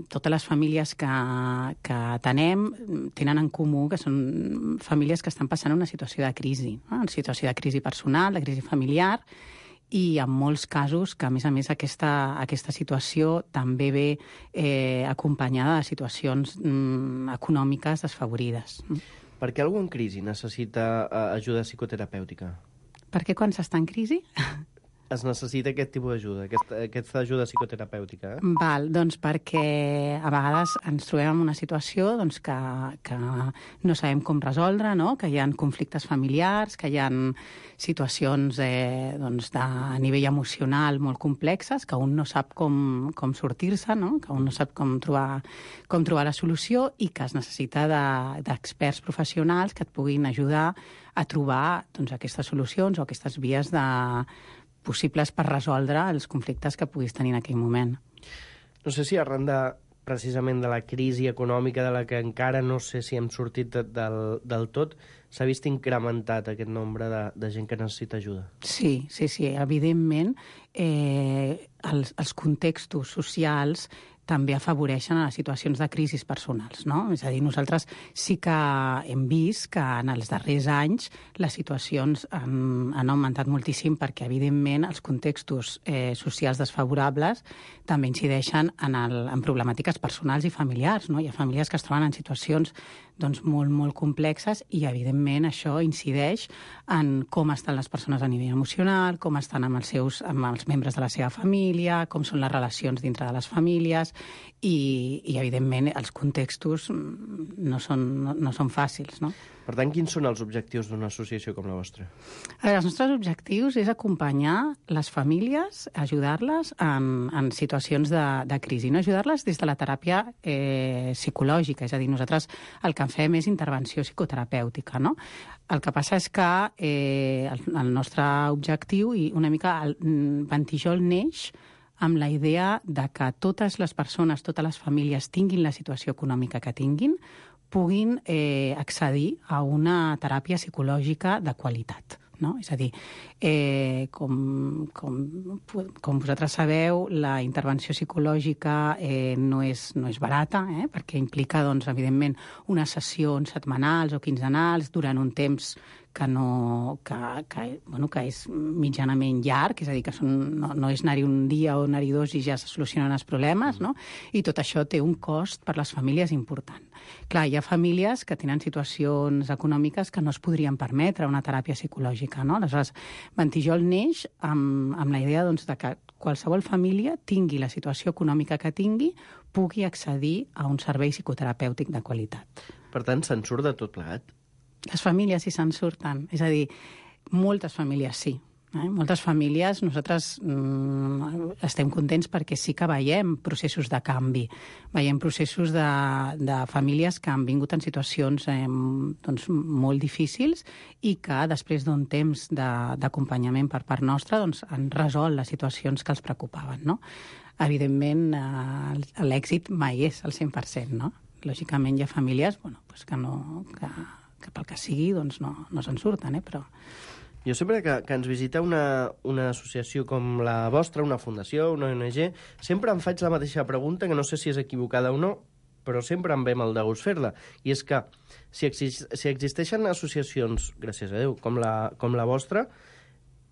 totes les famílies que atenem tenen en comú que són famílies que estan passant una situació de crisi, una situació de crisi personal, de crisi familiar, i en molts casos que, a més, aquesta situació també ve acompanyada de situacions econòmiques desfavorides. Per què algú en crisi necessita ajuda psicoterapèutica? Per què quan s'està en crisi? Es necessita aquest tipus d'ajuda, aquesta ajuda psicoterapèutica? Doncs perquè a vegades ens trobem en una situació que no sabem com resoldre, no? Que hi ha conflictes familiars, que hi ha situacions a nivell emocional molt complexes, que un no sap com sortir-se, no? Que un no sap com trobar la solució i que es necessita d'experts professionals que et puguin ajudar a trobar aquestes solucions o aquestes vies possibles per resoldre els conflictes que puguis tenir en aquell moment. No sé si arran precisament de la crisi econòmica de la que encara no sé si hem sortit del tot, s'ha vist incrementat aquest nombre de gent que necessita ajuda. Sí, evidentment els contextos socials també afavoreixen a les situacions de crisis personals, no? És a dir, nosaltres sí que hem vist que en els darrers anys les situacions han augmentat moltíssim perquè, evidentment, els contextos socials desfavorables també incideixen en problemàtiques personals i familiars, no? Hi ha famílies que es troben en situacions molt, molt complexes i, evidentment, això incideix en com estan les persones a nivell emocional, com estan amb els membres de la seva família, com són les relacions dintre de les famílies. i evidentment, els contextos no són fàcils, no? Per tant, quins són els objectius d'una associació com la vostra? Els nostres objectius és acompanyar les famílies, ajudar-les en situacions de crisi, no ajudar-les des de la teràpia psicològica, és a dir, nosaltres el que fem és intervenció psicoterapèutica, no? El que passa és que el nostre objectiu, i una mica el Ventijol neix amb la idea de que totes les persones, totes les famílies tinguin la situació econòmica que tinguin, puguin accedir a una teràpia psicològica de qualitat. No? És a dir, com vosaltres sabeu, la intervenció psicològica no és barata, perquè implica, doncs, evidentment, unes sessions setmanals o quinzenals durant un temps que és mitjanament llarg, és a dir, que no és anar-hi un dia o anar-hi dos i ja se solucionen els problemes, no? I tot això té un cost per les famílies important. Clar, hi ha famílies que tenen situacions econòmiques que no es podrien permetre una teràpia psicològica, no? Aleshores, Ventijol neix amb la idea, doncs, de que qualsevol família tingui la situació econòmica que tingui, pugui accedir a un servei psicoterapèutic de qualitat. Per tant, se'n surt de tot plegat? Les famílies sí se'n surten. És a dir, moltes famílies sí. Moltes famílies, nosaltres estem contents perquè sí que veiem processos de canvi. Veiem processos de famílies que han vingut en situacions doncs, molt difícils i que després d'un temps d'acompanyament per part nostra doncs, han resolt les situacions que els preocupaven. No? Evidentment, l'èxit mai és al 100%. No? Lògicament hi ha famílies que pel que sigui doncs no se'n surten, però... Jo sempre que ens visita una associació com la vostra, una fundació, una ONG, sempre em faig la mateixa pregunta, que no sé si és equivocada o no, però sempre em ve mal de gust fer-la. I és que si existeixen associacions, gràcies a Déu, com la vostra,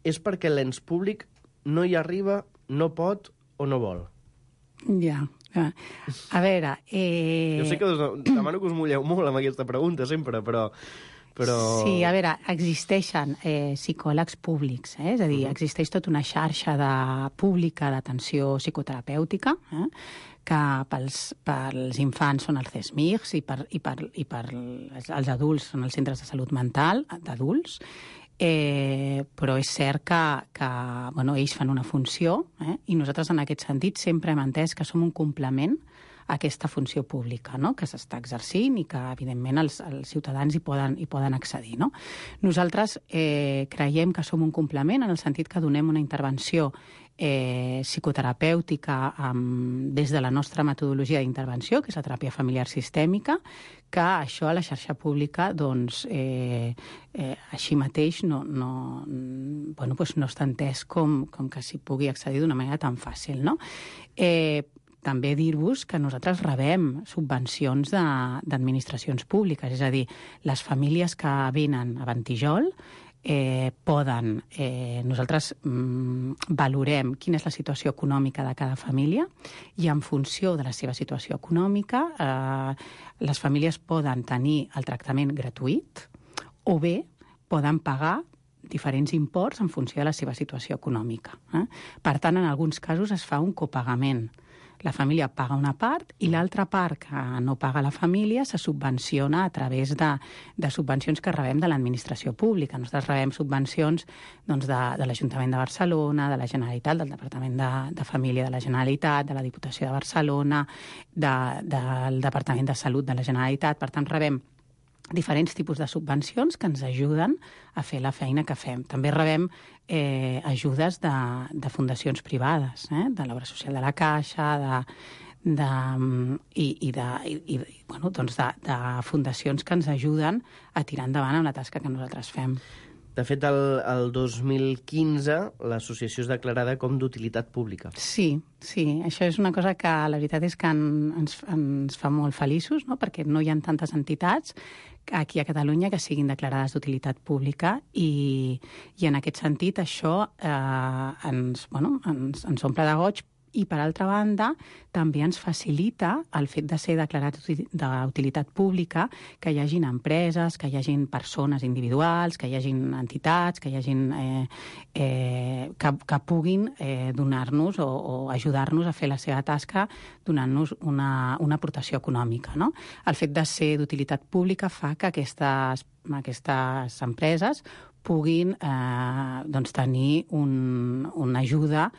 és perquè l'ens públic no hi arriba, no pot o no vol. Ja. A veure... Jo sé que demano que us mulleu molt amb aquesta pregunta sempre, però... Sí, a veure, existeixen psicòlegs públics, és a dir, existeix tota una xarxa pública d'atenció psicoterapèutica, que pels infants són els CESMIRs i per els adults són els centres de salut mental d'adults, però és cert que ells fan una funció i nosaltres en aquest sentit sempre hem entès que som un complement a aquesta funció pública, no? Que s'està exercint i que, evidentment, els ciutadans hi poden accedir. No? Nosaltres creiem que som un complement en el sentit que donem una intervenció psicoterapèutica des de la nostra metodologia d'intervenció, que és la teràpia familiar sistèmica, que això a la xarxa pública, doncs, així mateix no està entès com que s'hi pugui accedir d'una manera tan fàcil. No? També dir-vos que nosaltres rebem subvencions d'administracions públiques, és a dir, les famílies que venen a Ventijol poden... Nosaltres valorem quina és la situació econòmica de cada família i en funció de la seva situació econòmica les famílies poden tenir el tractament gratuït o bé poden pagar diferents imports en funció de la seva situació econòmica. Per tant, en alguns casos es fa un copagament. La família paga una part i l'altra part que no paga la família se subvenciona a través de subvencions que rebem de l'administració pública. Nosaltres rebem subvencions doncs, de l'Ajuntament de Barcelona, de la Generalitat, del Departament de Família de la Generalitat, de la Diputació de Barcelona, del Departament de Salut de la Generalitat. Per tant, rebem diferents tipus de subvencions que ens ajuden a fer la feina que fem. També rebem ajudes de fundacions privades, de l'Obra Social de la Caixa, de fundacions que ens ajuden a tirar endavant amb la tasca que nosaltres fem. De fet, el 2015 l'associació és declarada com d'utilitat pública. Sí, això és una cosa que la veritat és que ens fa molt feliços, no? Perquè no hi ha tantes entitats aquí a Catalunya que siguin declarades d'utilitat pública i en aquest sentit això ens omple de goig I, per altra banda, també ens facilita el fet de ser declarat d'utilitat pública que hi hagin empreses, que hi hagin persones individuals, que hi hagin entitats, que hi hagin que puguin donar-nos o ajudar-nos a fer la seva tasca donant-nos una aportació econòmica, no? El fet de ser d'utilitat pública fa que aquestes empreses puguin tenir una ajuda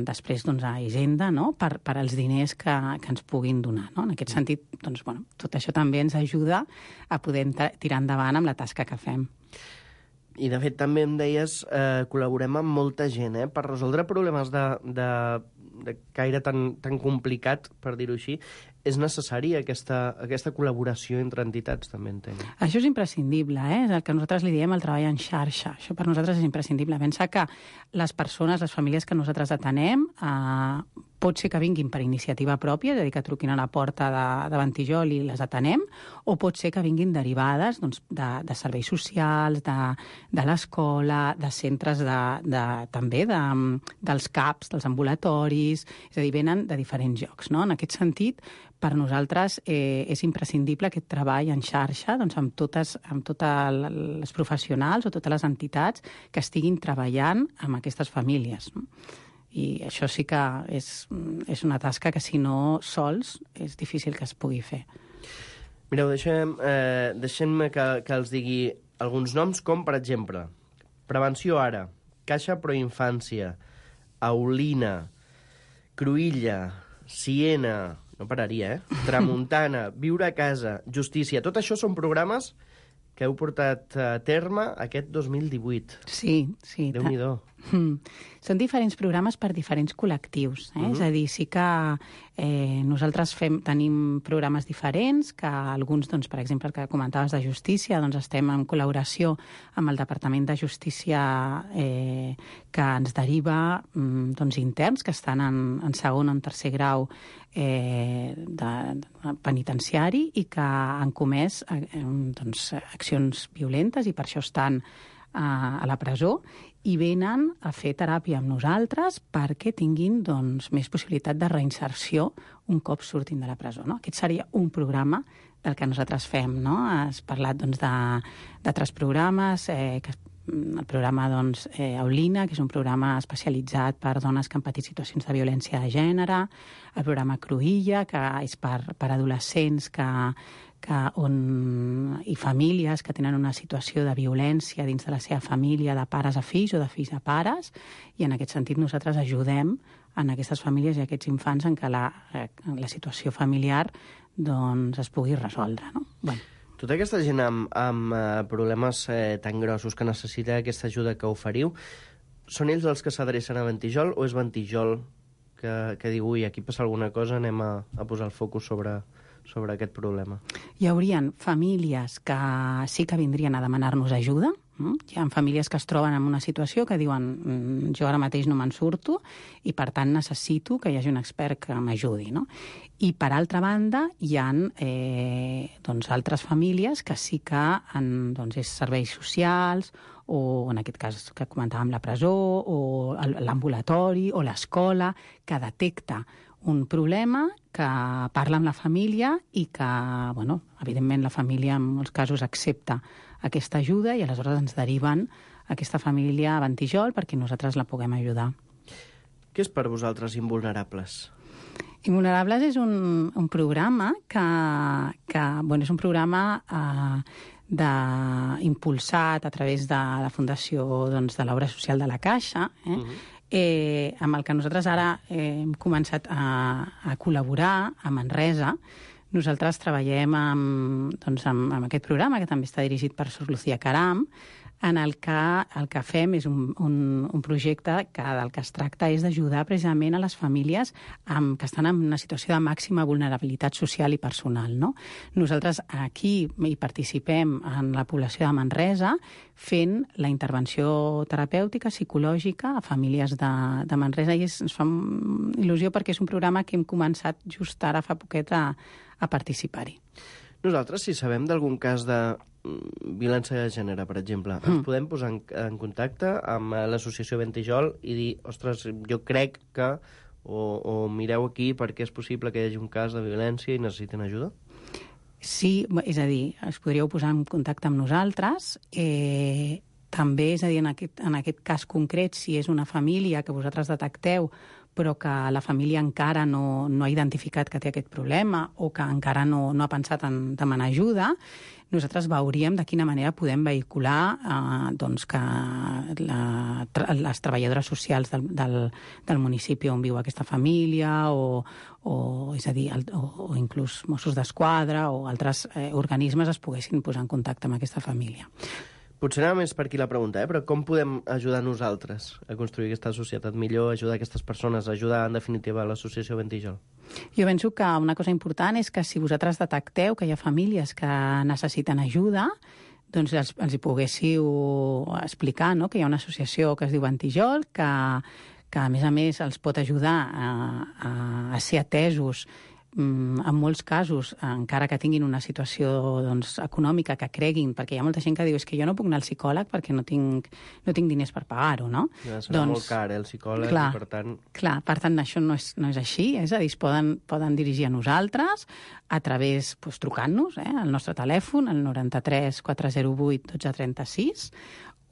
després a Hisenda, no? per als diners que ens puguin donar. No? En aquest sentit, tot això també ens ajuda a poder tirar endavant amb la tasca que fem. I, de fet, també em deies, col·laborem amb molta gent, per resoldre problemes de caire tan complicat, per dir-ho així. És necessària aquesta col·laboració entre entitats, també entenc. Això és imprescindible, és el que nosaltres li diem el treball en xarxa. Això per nosaltres és imprescindible. Pensa que les persones, les famílies que nosaltres atenem, pot ser que vinguin per iniciativa pròpia, és a dir, que truquin a la porta de Ventijol i les atenem, o pot ser que vinguin derivades de serveis socials, de l'escola, de centres també dels CAPs, dels ambulatoris, és a dir, venen de diferents llocs. No? En aquest sentit, per nosaltres és imprescindible aquest treball en xarxa amb totes les professionals o totes les entitats que estiguin treballant amb aquestes famílies. No? I això sí que és una tasca que, si no, sols és difícil que es pugui fer. Mireu, deixem-me que els digui alguns noms, com, per exemple, Prevenció Ara, Caixa Proinfància, Aulina, Cruïlla, Siena, no pararia, Tramuntana, Viure a Casa, Justícia. Tot això són programes que heu portat a terme aquest 2018. Sí. Déu-n'hi-do. Són diferents programes per diferents col·lectius. És a dir, sí que nosaltres tenim programes diferents, que alguns, per exemple, el que comentaves de Justícia, estem en col·laboració amb el Departament de Justícia que ens deriva interns que estan en segon o en tercer grau penitenciari i que han comès accions violentes i per això estan a la presó i venen a fer teràpia amb nosaltres perquè tinguin més possibilitat de reinserció un cop surtin de la presó. No? Aquest seria un programa del que nosaltres fem. No? Has parlat d'altres programes, el programa Aulina, que és un programa especialitzat per dones que han patit situacions de violència de gènere, el programa Cruïlla, que és per adolescents i famílies que tenen una situació de violència dins de la seva família, de pares a fills o de fills a pares, i en aquest sentit nosaltres ajudem en aquestes famílies i aquests infants en què la situació familiar es pugui resoldre. No? Bueno. Tota aquesta gent amb problemes tan grossos que necessita aquesta ajuda que oferiu, són ells els que s'adrecen a Ventijol o és Ventijol que diu, ui, aquí passa alguna cosa, anem a posar el focus sobre aquest problema? Hi haurien famílies que sí que vindrien a demanar-nos ajuda. Hi ha famílies que es troben en una situació que diuen jo ara mateix no me'n surto i, per tant, necessito que hi hagi un expert que m'ajudi. No? I, per altra banda, hi ha altres famílies que sí que és serveis socials o, en aquest cas que comentàvem, la presó o l'ambulatori o l'escola, que detecta un problema, que parla amb la família i que, evidentment, la família en molts casos accepta aquesta ajuda i aleshores ens deriven aquesta família a Ventijol perquè nosaltres la puguem ajudar. Què és per vosaltres Invulnerables? Invulnerables és un programa que és un programa impulsat a través de la Fundació de l'Obra Social de la Caixa, amb el que nosaltres ara hem començat a col·laborar a Manresa. Nosaltres treballem amb aquest programa, que també està dirigit per Sor Lucía Caram, en el que fem és un projecte que del que es tracta és d'ajudar precisament a les famílies que estan en una situació de màxima vulnerabilitat social i personal. No? Nosaltres aquí hi participem en la població de Manresa fent la intervenció terapèutica, psicològica a famílies de Manresa i ens fa il·lusió perquè és un programa que hem començat just ara fa poquet a participar-hi. Nosaltres, si sabem d'algun cas de violència de gènere, per exemple, ens podem posar en contacte amb l'associació Ventijol i dir, ostres, jo crec que, o mireu aquí perquè és possible que hi hagi un cas de violència i necessiten ajuda? Sí, és a dir, us podríeu posar en contacte amb nosaltres. També, és a dir, en aquest cas concret, si és una família que vosaltres detecteu però que la família encara no ha identificat que té aquest problema o que encara no ha pensat en demanar ajuda, nosaltres veuríem de quina manera podem vehicular que les treballadores socials del municipi on viu aquesta família o és a dir, o inclús Mossos d'Esquadra o altres organismes es poguessin posar en contacte amb aquesta família. Potser anava més per aquí la pregunta, però com podem ajudar nosaltres a construir aquesta societat millor, ajudar aquestes persones, ajudar, en definitiva, l'associació Ventijol? Jo penso que una cosa important és que si vosaltres detecteu que hi ha famílies que necessiten ajuda, doncs els hi poguéssiu explicar, no?, que hi ha una associació que es diu Ventijol, que a més els pot ajudar a ser atesos en molts casos, encara que tinguin una situació econòmica que creguin, perquè hi ha molta gent que diu és que jo no puc anar al psicòleg perquè no tinc diners per pagar-ho, no? Ja, serà molt car, el psicòleg, i per tant... Clar, per tant, això no és així, és a dir, es poden dirigir a nosaltres a través, trucant-nos, al nostre telèfon, al 93 408 1236,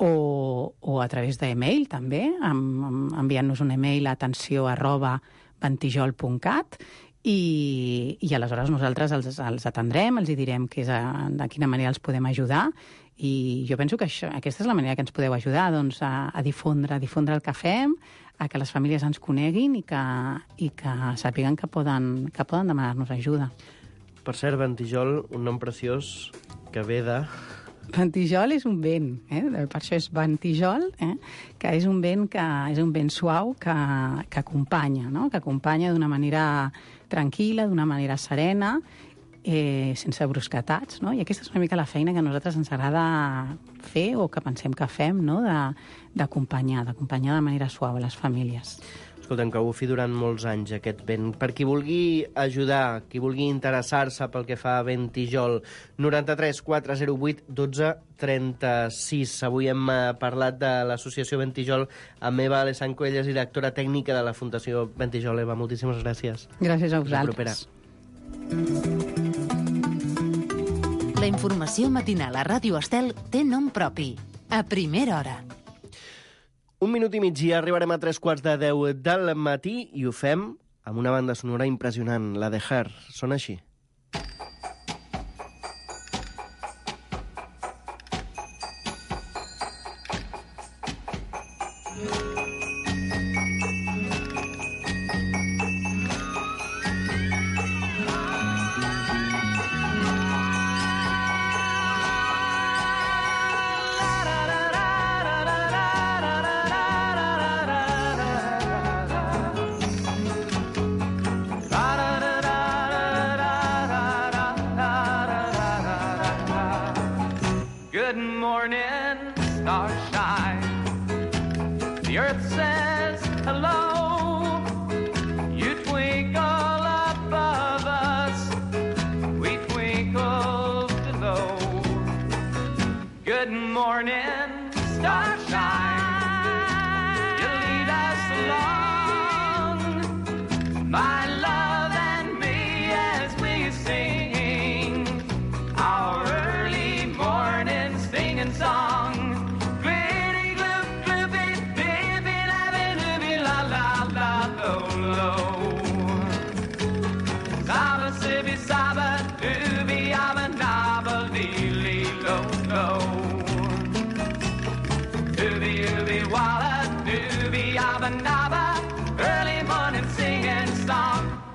o a través d'e-mail, també, enviant-nos un e-mail a atenció@ventijol.cat, i aleshores nosaltres els atendrem, els hi direm de quina manera els podem ajudar, i jo penso que aquesta és la manera que ens podeu ajudar, doncs, a difondre el que fem, a que les famílies ens coneguin i que sàpiguen que poden demanar-nos ajuda. Per cert, Ventijol, un nom preciós que ve de... Ventijol és un vent, per això és Ventijol, que és un vent suau que acompanya, no?, que acompanya d'una manera tranquil·la, d'una manera serena, sense brusquetats, no? I aquesta és una mica la feina que a nosaltres ens agrada fer o que pensem que fem, no?, d'acompanyar de manera suau a les famílies. Escolta'm, que ho fi durant molts anys, aquest vent. Per qui vulgui ajudar, qui vulgui interessar-se pel que fa a Ventijol, 93 408 12 36. Avui hem parlat de l'associació Ventijol amb Eva Alessanco, ella és directora tècnica de la Fundació Ventijol. Eva, moltíssimes gràcies. Gràcies a vosaltres. La informació matinal a Ràdio Estel té nom propi. A primera hora. 1 minut i mig i arribarem a 9:45 del matí i ho fem amb una banda sonora impressionant, la de Her. Sona així.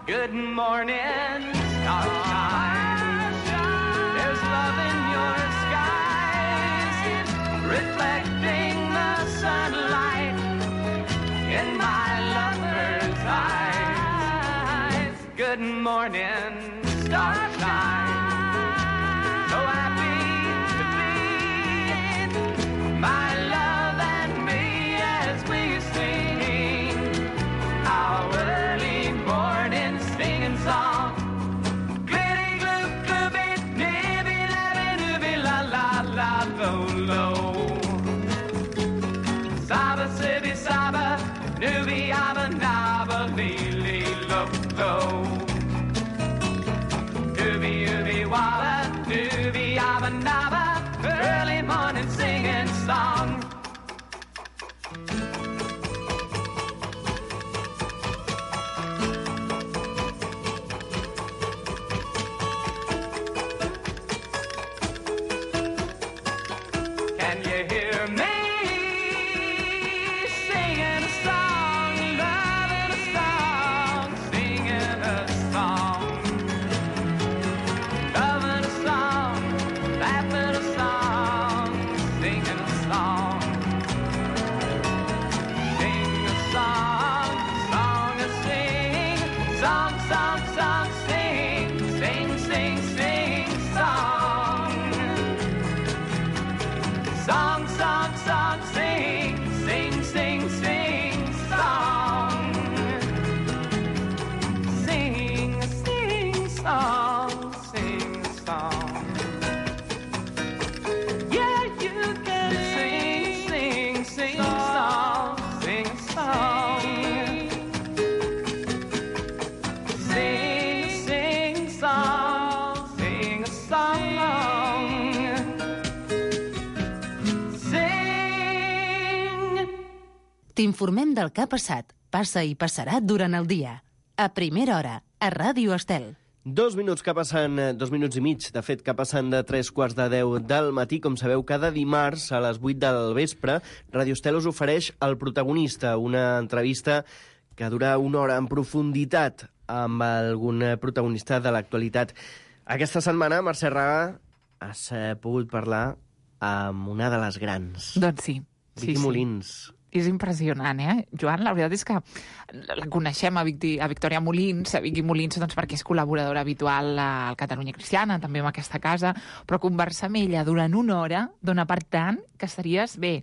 Good morning, starshine. There's love in your skies, reflecting the sunlight in my lover's eyes. Good morning, starshine. So happy to be my love and me as we sing our early morning singing song. Glitty gloop gloopy, nibby labby nibby la la la lo lo. Saba sibby saba, nubby abba nabba lee. song. Can you hear me singing a song, loving a song, singing a song, loving a song, laughing a song, singing a song, sing a song, song a sing, song, song, song, sing, sing, sing, sing, song. Song, song, song, sing, sing, sing, sing, song. Sing, sing, song, sing, song. Yeah, you can sing, sing, sing, song, sing, song. Sing, sing, song, sing a song. T'informem del que ha passat, passa i passarà durant el dia. A primera hora, a Ràdio Estel. 2 minuts que passen, 2 minuts i mig, de fet, que passen de 3:45 del matí. Com sabeu, cada dimarts a les 8 del vespre, Ràdio Estel us ofereix El Protagonista, una entrevista que dura 1 hora en profunditat amb algun protagonista de l'actualitat. Aquesta setmana, Mercè Raga, has pogut parlar amb una de les grans. Doncs sí. Vicky Molins. És impressionant, Joan? La veritat és que la coneixem a Victòria Molins, a Vicky Molins, doncs perquè és col·laboradora habitual al Catalunya Cristiana, també en aquesta casa, però conversar amb ella durant 1 hora dona per tant que estaries bé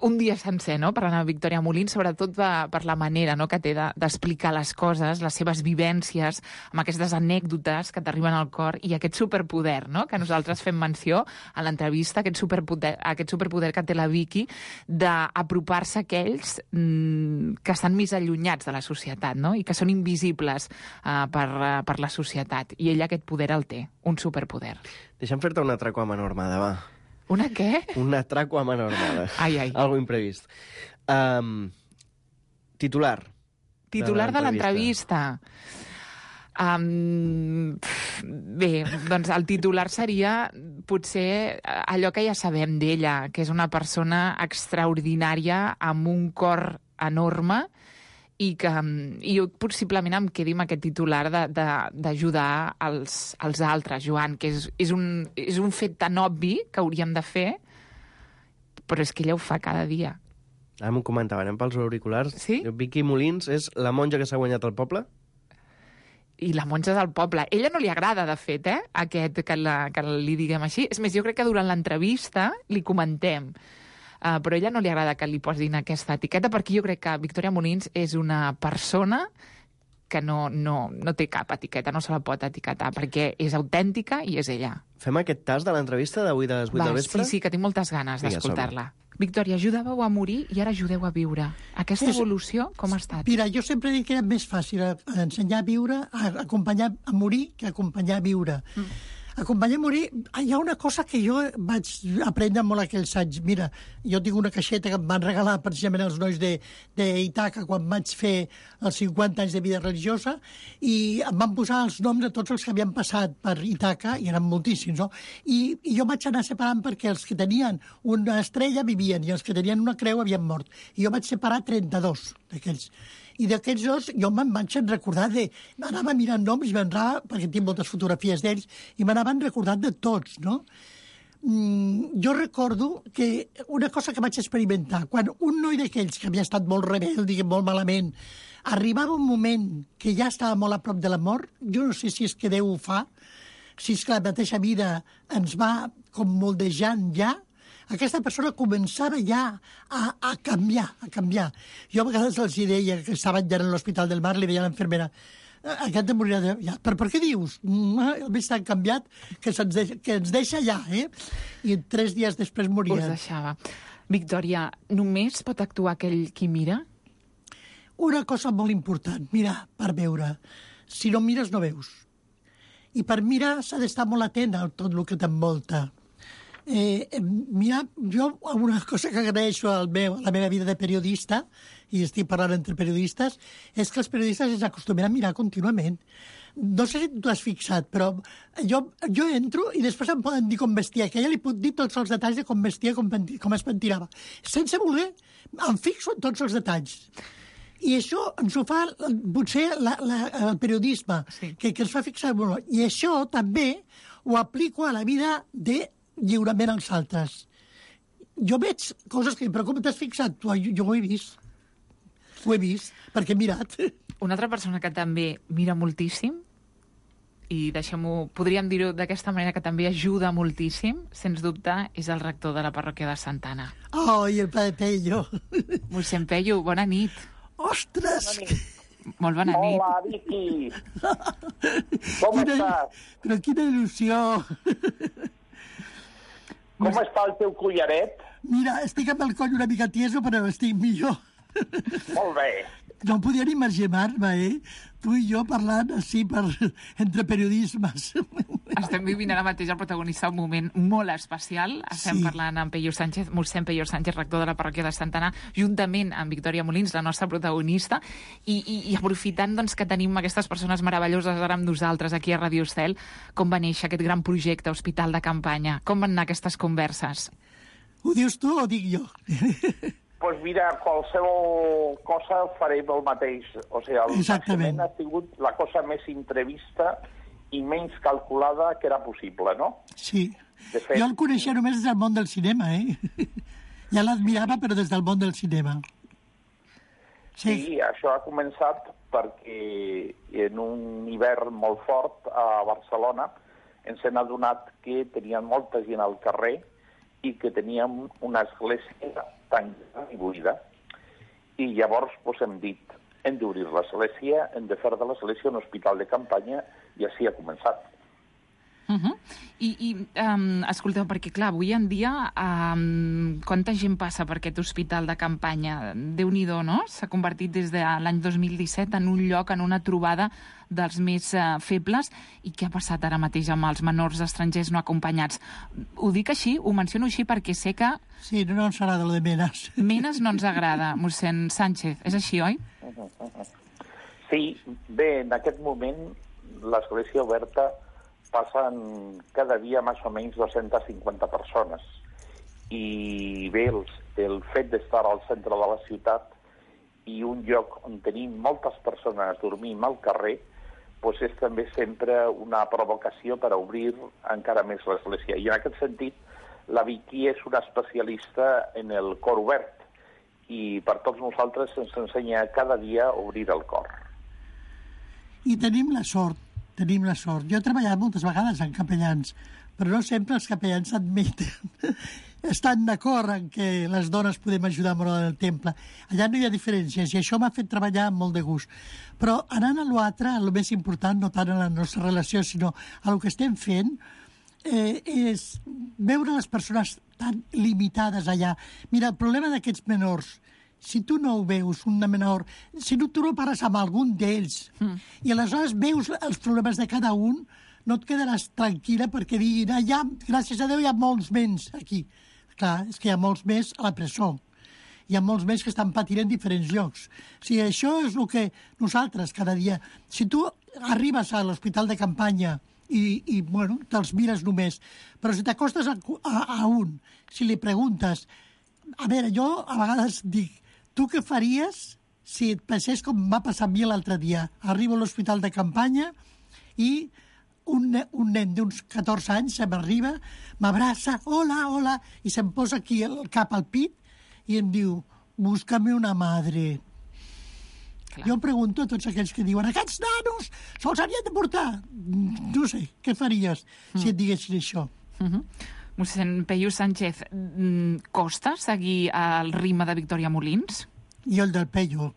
un dia sencer, no?, parlant amb Victòria Molins, sobretot per la manera, no?, que té d'explicar les coses, les seves vivències, amb aquestes anècdotes que t'arriben al cor i aquest superpoder, no?, que nosaltres fem menció a l'entrevista, aquest superpoder que té la Vicky d'apropar-se a aquells que estan més allunyats de la societat, no?, i que són invisibles per la societat. I ella aquest poder el té, un superpoder. Deixa'm fer-te una atraco a mà normada, va. Una què? Un atraco a mà normada. Ai, ai. Algo imprevist. Titular. Titular de l'entrevista. Bé, doncs el titular seria potser allò que ja sabem d'ella, que és una persona extraordinària amb un cor enorme i jo possiblement em quedi amb aquest titular d'ajudar els altres, Joan, que és un fet tan obvi que hauríem de fer, però és que ella ho fa cada dia. Ara m'ho comentaven pels auriculars. Sí? Vicky Molins és la monja que s'ha guanyat el poble? I la monja del poble. Ella no li agrada, de fet, aquest que li diguem així. És més, jo crec que durant l'entrevista li comentem. Però a ella no li agrada que li posin aquesta etiqueta, perquè jo crec que Victòria Molins és una persona que no té cap etiqueta, no se la pot etiquetar, perquè és autèntica i és ella. Fem aquest tas de l'entrevista d'avui de les 8 del vespre? Sí, que tinc moltes ganes d'escoltar-la. Victòria, ajudàveu a morir i ara ajudeu a viure. Aquesta evolució, com ha estat? Mira, jo sempre dic que era més fàcil ensenyar a viure, acompanyar a morir, que acompanyar a viure. Acompanyar a morir, hi ha una cosa que jo vaig aprendre molt aquells anys. Mira, jo tinc una caixeta que em van regalar precisament els nois d'Itaca quan vaig fer els 50 anys de vida religiosa i em van posar els noms de tots els que havien passat per Itaca, i eren moltíssims, no? I jo vaig anar separant perquè els que tenien una estrella vivien i els que tenien una creu havien mort. I jo vaig separar 32 d'aquells. I d'aquells dos jo me'n vaig recordar anava mirant noms, perquè tinc moltes fotografies d'ells, i m'anaven recordant de tots, no? Jo recordo que una cosa que vaig experimentar, quan un noi d'aquells que havia estat molt rebel, molt malament, arribava un moment que ja estava molt a prop de la mort, jo no sé si és que Déu ho fa, si és que la mateixa vida ens va com moldejant ja, aquesta persona començava ja a canviar. Jo a vegades els deia que estaven ja en l'Hospital del Mar, li deia a l'enfermera, aquest morirà ja. Però per què dius? El més tan canviat que ens deixa ja, I 3 dies després moria. Us deixava. Victòria, només pot actuar aquell qui mira? Una cosa molt important, mirar per veure. Si no mires, no veus. I per mirar s'ha d'estar molt atent a tot el que t'envolta. Mira, jo una cosa que agraeixo a la meva vida de periodista, i estic parlant entre periodistes, és que els periodistes ens acostumen a mirar contínuament. No sé si tu has fixat, però jo entro i després em poden dir com vestia, que ella li puc dir tots els detalls de com vestia, com es pentinava. Sense voler, em fixo en tots els detalls. I això ens ho fa potser el periodisme, sí, que ens fa fixar molt. I això també ho aplico a la vida de lliurament als altres. Jo veig coses que, però com t'has fixat? Jo ho he vist. Ho he vist, perquè he mirat. Una altra persona que també mira moltíssim, i deixem-ho, podríem dir-ho d'aquesta manera, que també ajuda moltíssim, sens dubte, és el rector de la parròquia de Santa Anna. Oh, i el Padre Pello. Mossèn Pello, bona nit. Ostres! Molt bona nit. Hola, Vicky. Com estàs? Però quina il·lusió. Com està el teu collaret? Mira, estic amb el coll una mica tieso, però estic millor. Molt bé. No podia ni imaginar-me, Tu i jo parlant així entre periodismes. Estem vivint ara mateix el protagonista un moment molt especial. Estem parlant amb Pello Sánchez, mossèn Pello Sánchez, rector de la parròquia de Santa Anna, juntament amb Victòria Molins, la nostra protagonista, i aprofitant doncs, que tenim aquestes persones meravelloses ara amb nosaltres aquí a Ràdio Estel, com va néixer aquest gran projecte Hospital de Campanya? Com van anar aquestes converses? Ho dius tu o dic jo? Pues mira, qualsevol cosa farem el mateix. O sigui, el naixement ha sigut la cosa més imprevista i menys calculada que era possible, no? Sí. De fet, jo el coneixia només des del món del cinema, Ja l'admirava, però des del món del cinema. Sí, això ha començat perquè en un hivern molt fort a Barcelona ens hem adonat que tenien molta gent al carrer i que teníem una església tancada i buida. I llavors hem dit, hem d'obrir l'església, hem de fer de l'església un hospital de campanya, i així ha començat. Escolteu, perquè clar, avui en dia quanta gent passa per aquest hospital de campanya? Déu-n'hi-do, no? S'ha convertit des de l'any 2017 en un lloc, en una trobada dels més febles. I què ha passat ara mateix amb els menors estrangers no acompanyats? Ho dic així, ho menciono així perquè sé que... Sí, no ens agrada lo de Menes. Menes no ens agrada, mossèn Sánchez. És així, oi? Sí, bé, en aquest moment l'església oberta passen cada dia més o menys 250 persones. I bé, el fet d'estar al centre de la ciutat i un lloc on tenim moltes persones dormint al carrer, doncs és també sempre una provocació per a obrir encara més l'església. I en aquest sentit, la Vicky és una especialista en el cor obert i per tots nosaltres ens ensenya cada dia a obrir el cor. I tenim la sort. Jo he treballat moltes vegades en capellans, però no sempre els capellans estan d'acord en que les dones podem ajudar molt en el temple. Allà no hi ha diferències i això m'ha fet treballar amb molt de gust. Però anant a l'altre, el més important, no tant a la nostra relació, sinó a el que estem fent, és veure les persones tan limitades allà. Mira, el problema d'aquests menors, si tu no ho veus, un menor, si tu no pares amb algun d'ells i aleshores veus els problemes de cada un, no et quedaràs tranquil·la perquè diguin, gràcies a Déu hi ha molts més aquí. Clar, és que hi ha molts més a la presó. Hi ha molts més que estan patint en diferents llocs. O sigui, això és el que nosaltres cada dia... Si tu arribes a l'hospital de campanya i bueno, te'ls mires només, però si t'acostes a un, si li preguntes... A veure, jo a vegades dic, tu què faries si et passés com va passar a mi l'altre dia? Arribo a l'hospital de campanya i un nen d'uns 14 anys se m'arriba, m'abraça, hola, i se'm posa aquí el cap al pit i em diu, búscame una madre. Clar. Jo pregunto a tots aquells que diuen, aquests nanos se'ls havien de portar. No sé, què faries si et diguessin això? Mossèn Pello Sánchez, costa seguir el ritme de Victòria Molins? I el del Pello.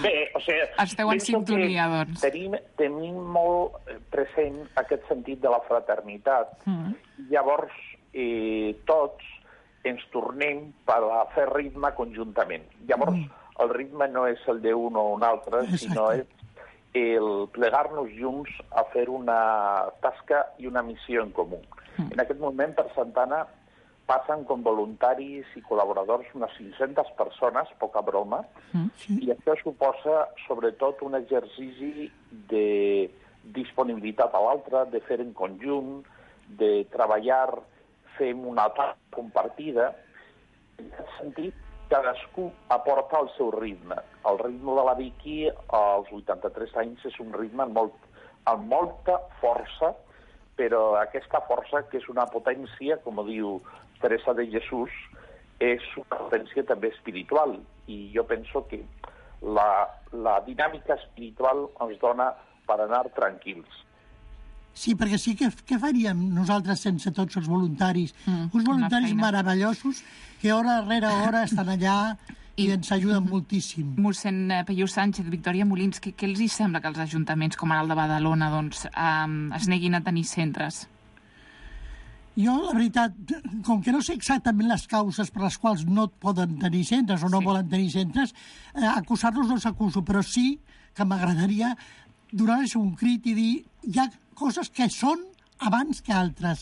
Bé, o sigui... Esteu en sintonia, doncs. Tenim molt present aquest sentit de la fraternitat. Llavors, tots ens tornem per a fer ritme conjuntament. Llavors, el ritme no és el d'un o un altre, sinó és el plegar-nos junts a fer una tasca i una missió en comú. En aquest moment, per Santa Anna, passen com voluntaris i col·laboradors unes 500 persones, poca broma, i això suposa, sobretot, un exercici de disponibilitat a l'altre, de fer en conjunt, de treballar, fem una tasca compartida. En aquest sentit, cadascú aporta el seu ritme. El ritme de la Vicky, als 83 anys, és un ritme amb molta força, però aquesta força, que és una potència, com diu Teresa de Jesús, és una potència també espiritual. I jo penso que la dinàmica espiritual ens dona per anar tranquils. Sí, perquè sí, què faríem nosaltres sense tots els voluntaris? Uns voluntaris meravellosos que hora rere hora estan allà i ens ajuden moltíssim. Mossèn Peyu Sánchez, Victòria Molins, què els hi sembla que els ajuntaments, com ara el de Badalona, doncs, es neguin a tenir centres? Jo, la veritat, com que no sé exactament les causes per les quals no poden tenir centres o no volen tenir centres, acusar-los no s'acuso, però sí que m'agradaria donar-los un crit i dir hi ha coses que són abans que altres.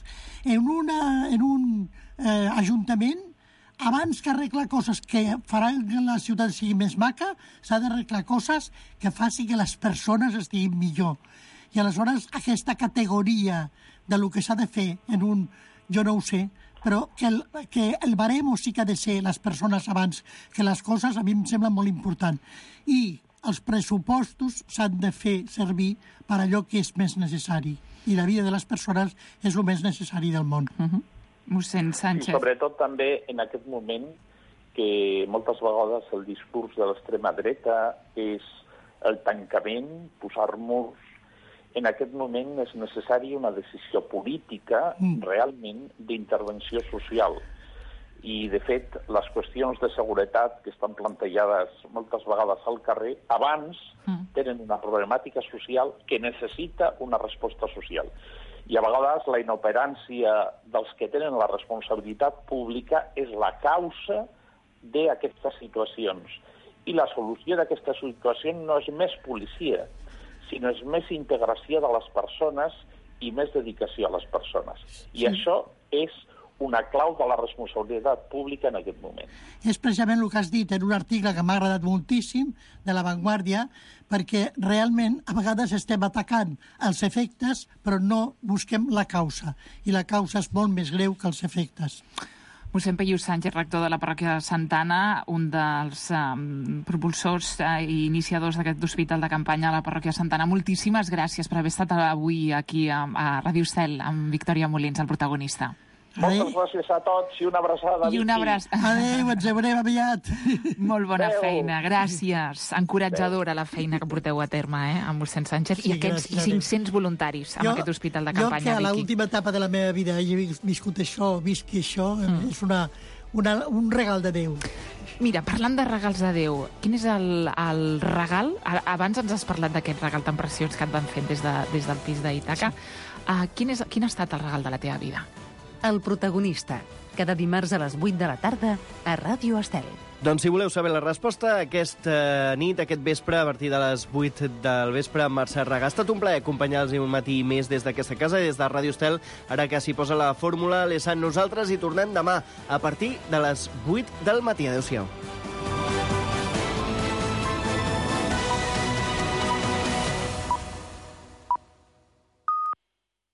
En un ajuntament, abans que arreglar coses que faran que la ciutat sigui més maca, s'ha d'arreglar coses que facin que les persones estiguin millor. I aleshores aquesta categoria de lo que s'ha de fer en un, jo no ho sé, però que el baremo sí que ha de ser les persones abans que les coses, a mi em sembla molt important. I els pressupostos s'han de fer servir per allò que és més necessari. I la vida de les persones és el més necessari del món. Mossèn Sánchez. I sobretot també en aquest moment que moltes vegades el discurs de l'extrema dreta és el tancament, posar murs. En aquest moment és necessari una decisió política realment d'intervenció social. I, de fet, les qüestions de seguretat que estan plantejades moltes vegades al carrer, abans tenen una problemàtica social que necessita una resposta social. I a vegades la inoperància dels que tenen la responsabilitat pública és la causa d'aquestes situacions. I la solució d'aquesta situació no és més policia, sinó és més integració de les persones i més dedicació a les persones. I això és una clau de la responsabilitat pública en aquest moment. És precisament el que has dit en un article que m'ha agradat moltíssim, de La Vanguardia, perquè realment a vegades estem atacant els efectes, però no busquem la causa. I la causa és molt més greu que els efectes. Mossèn Peyu Sánchez, rector de la parròquia de Santa Anna, un dels propulsors i iniciadors d'aquest hospital de campanya a la parròquia de Santa Anna. Moltíssimes gràcies per haver estat avui aquí a Ràdio Estel amb Victòria Molins, el protagonista. Moltes gràcies a tots i una abraçada. I una abraçada. Adéu, ens veurem aviat. Molt bona feina, gràcies. Encoratjadora la feina que porteu a terme, amb mossèn Sánchez i aquests 500 voluntaris amb aquest hospital de campanya. Jo que a l'última etapa de la meva vida he viscut això, visqui això, és un regal de Déu. Mira, parlant de regals de Déu, quin és el regal? Abans ens has parlat d'aquest regal tan preciós que et van fer des del pis d'Ítaca. Quin ha estat el regal de la teva vida? El protagonista, cada dimarts a les 8 de la tarda a Ràdio Estel. Doncs si voleu saber la resposta, aquesta nit, aquest vespre, a partir de les 8 del vespre, amb Mercè Raga. Ha estat un plaer acompanyar-los un matí més des d'aquesta casa, des de Ràdio Estel, ara que s'hi posa la fórmula. Nosaltres hi tornem demà a partir de les 8 del matí. Adéu-siau.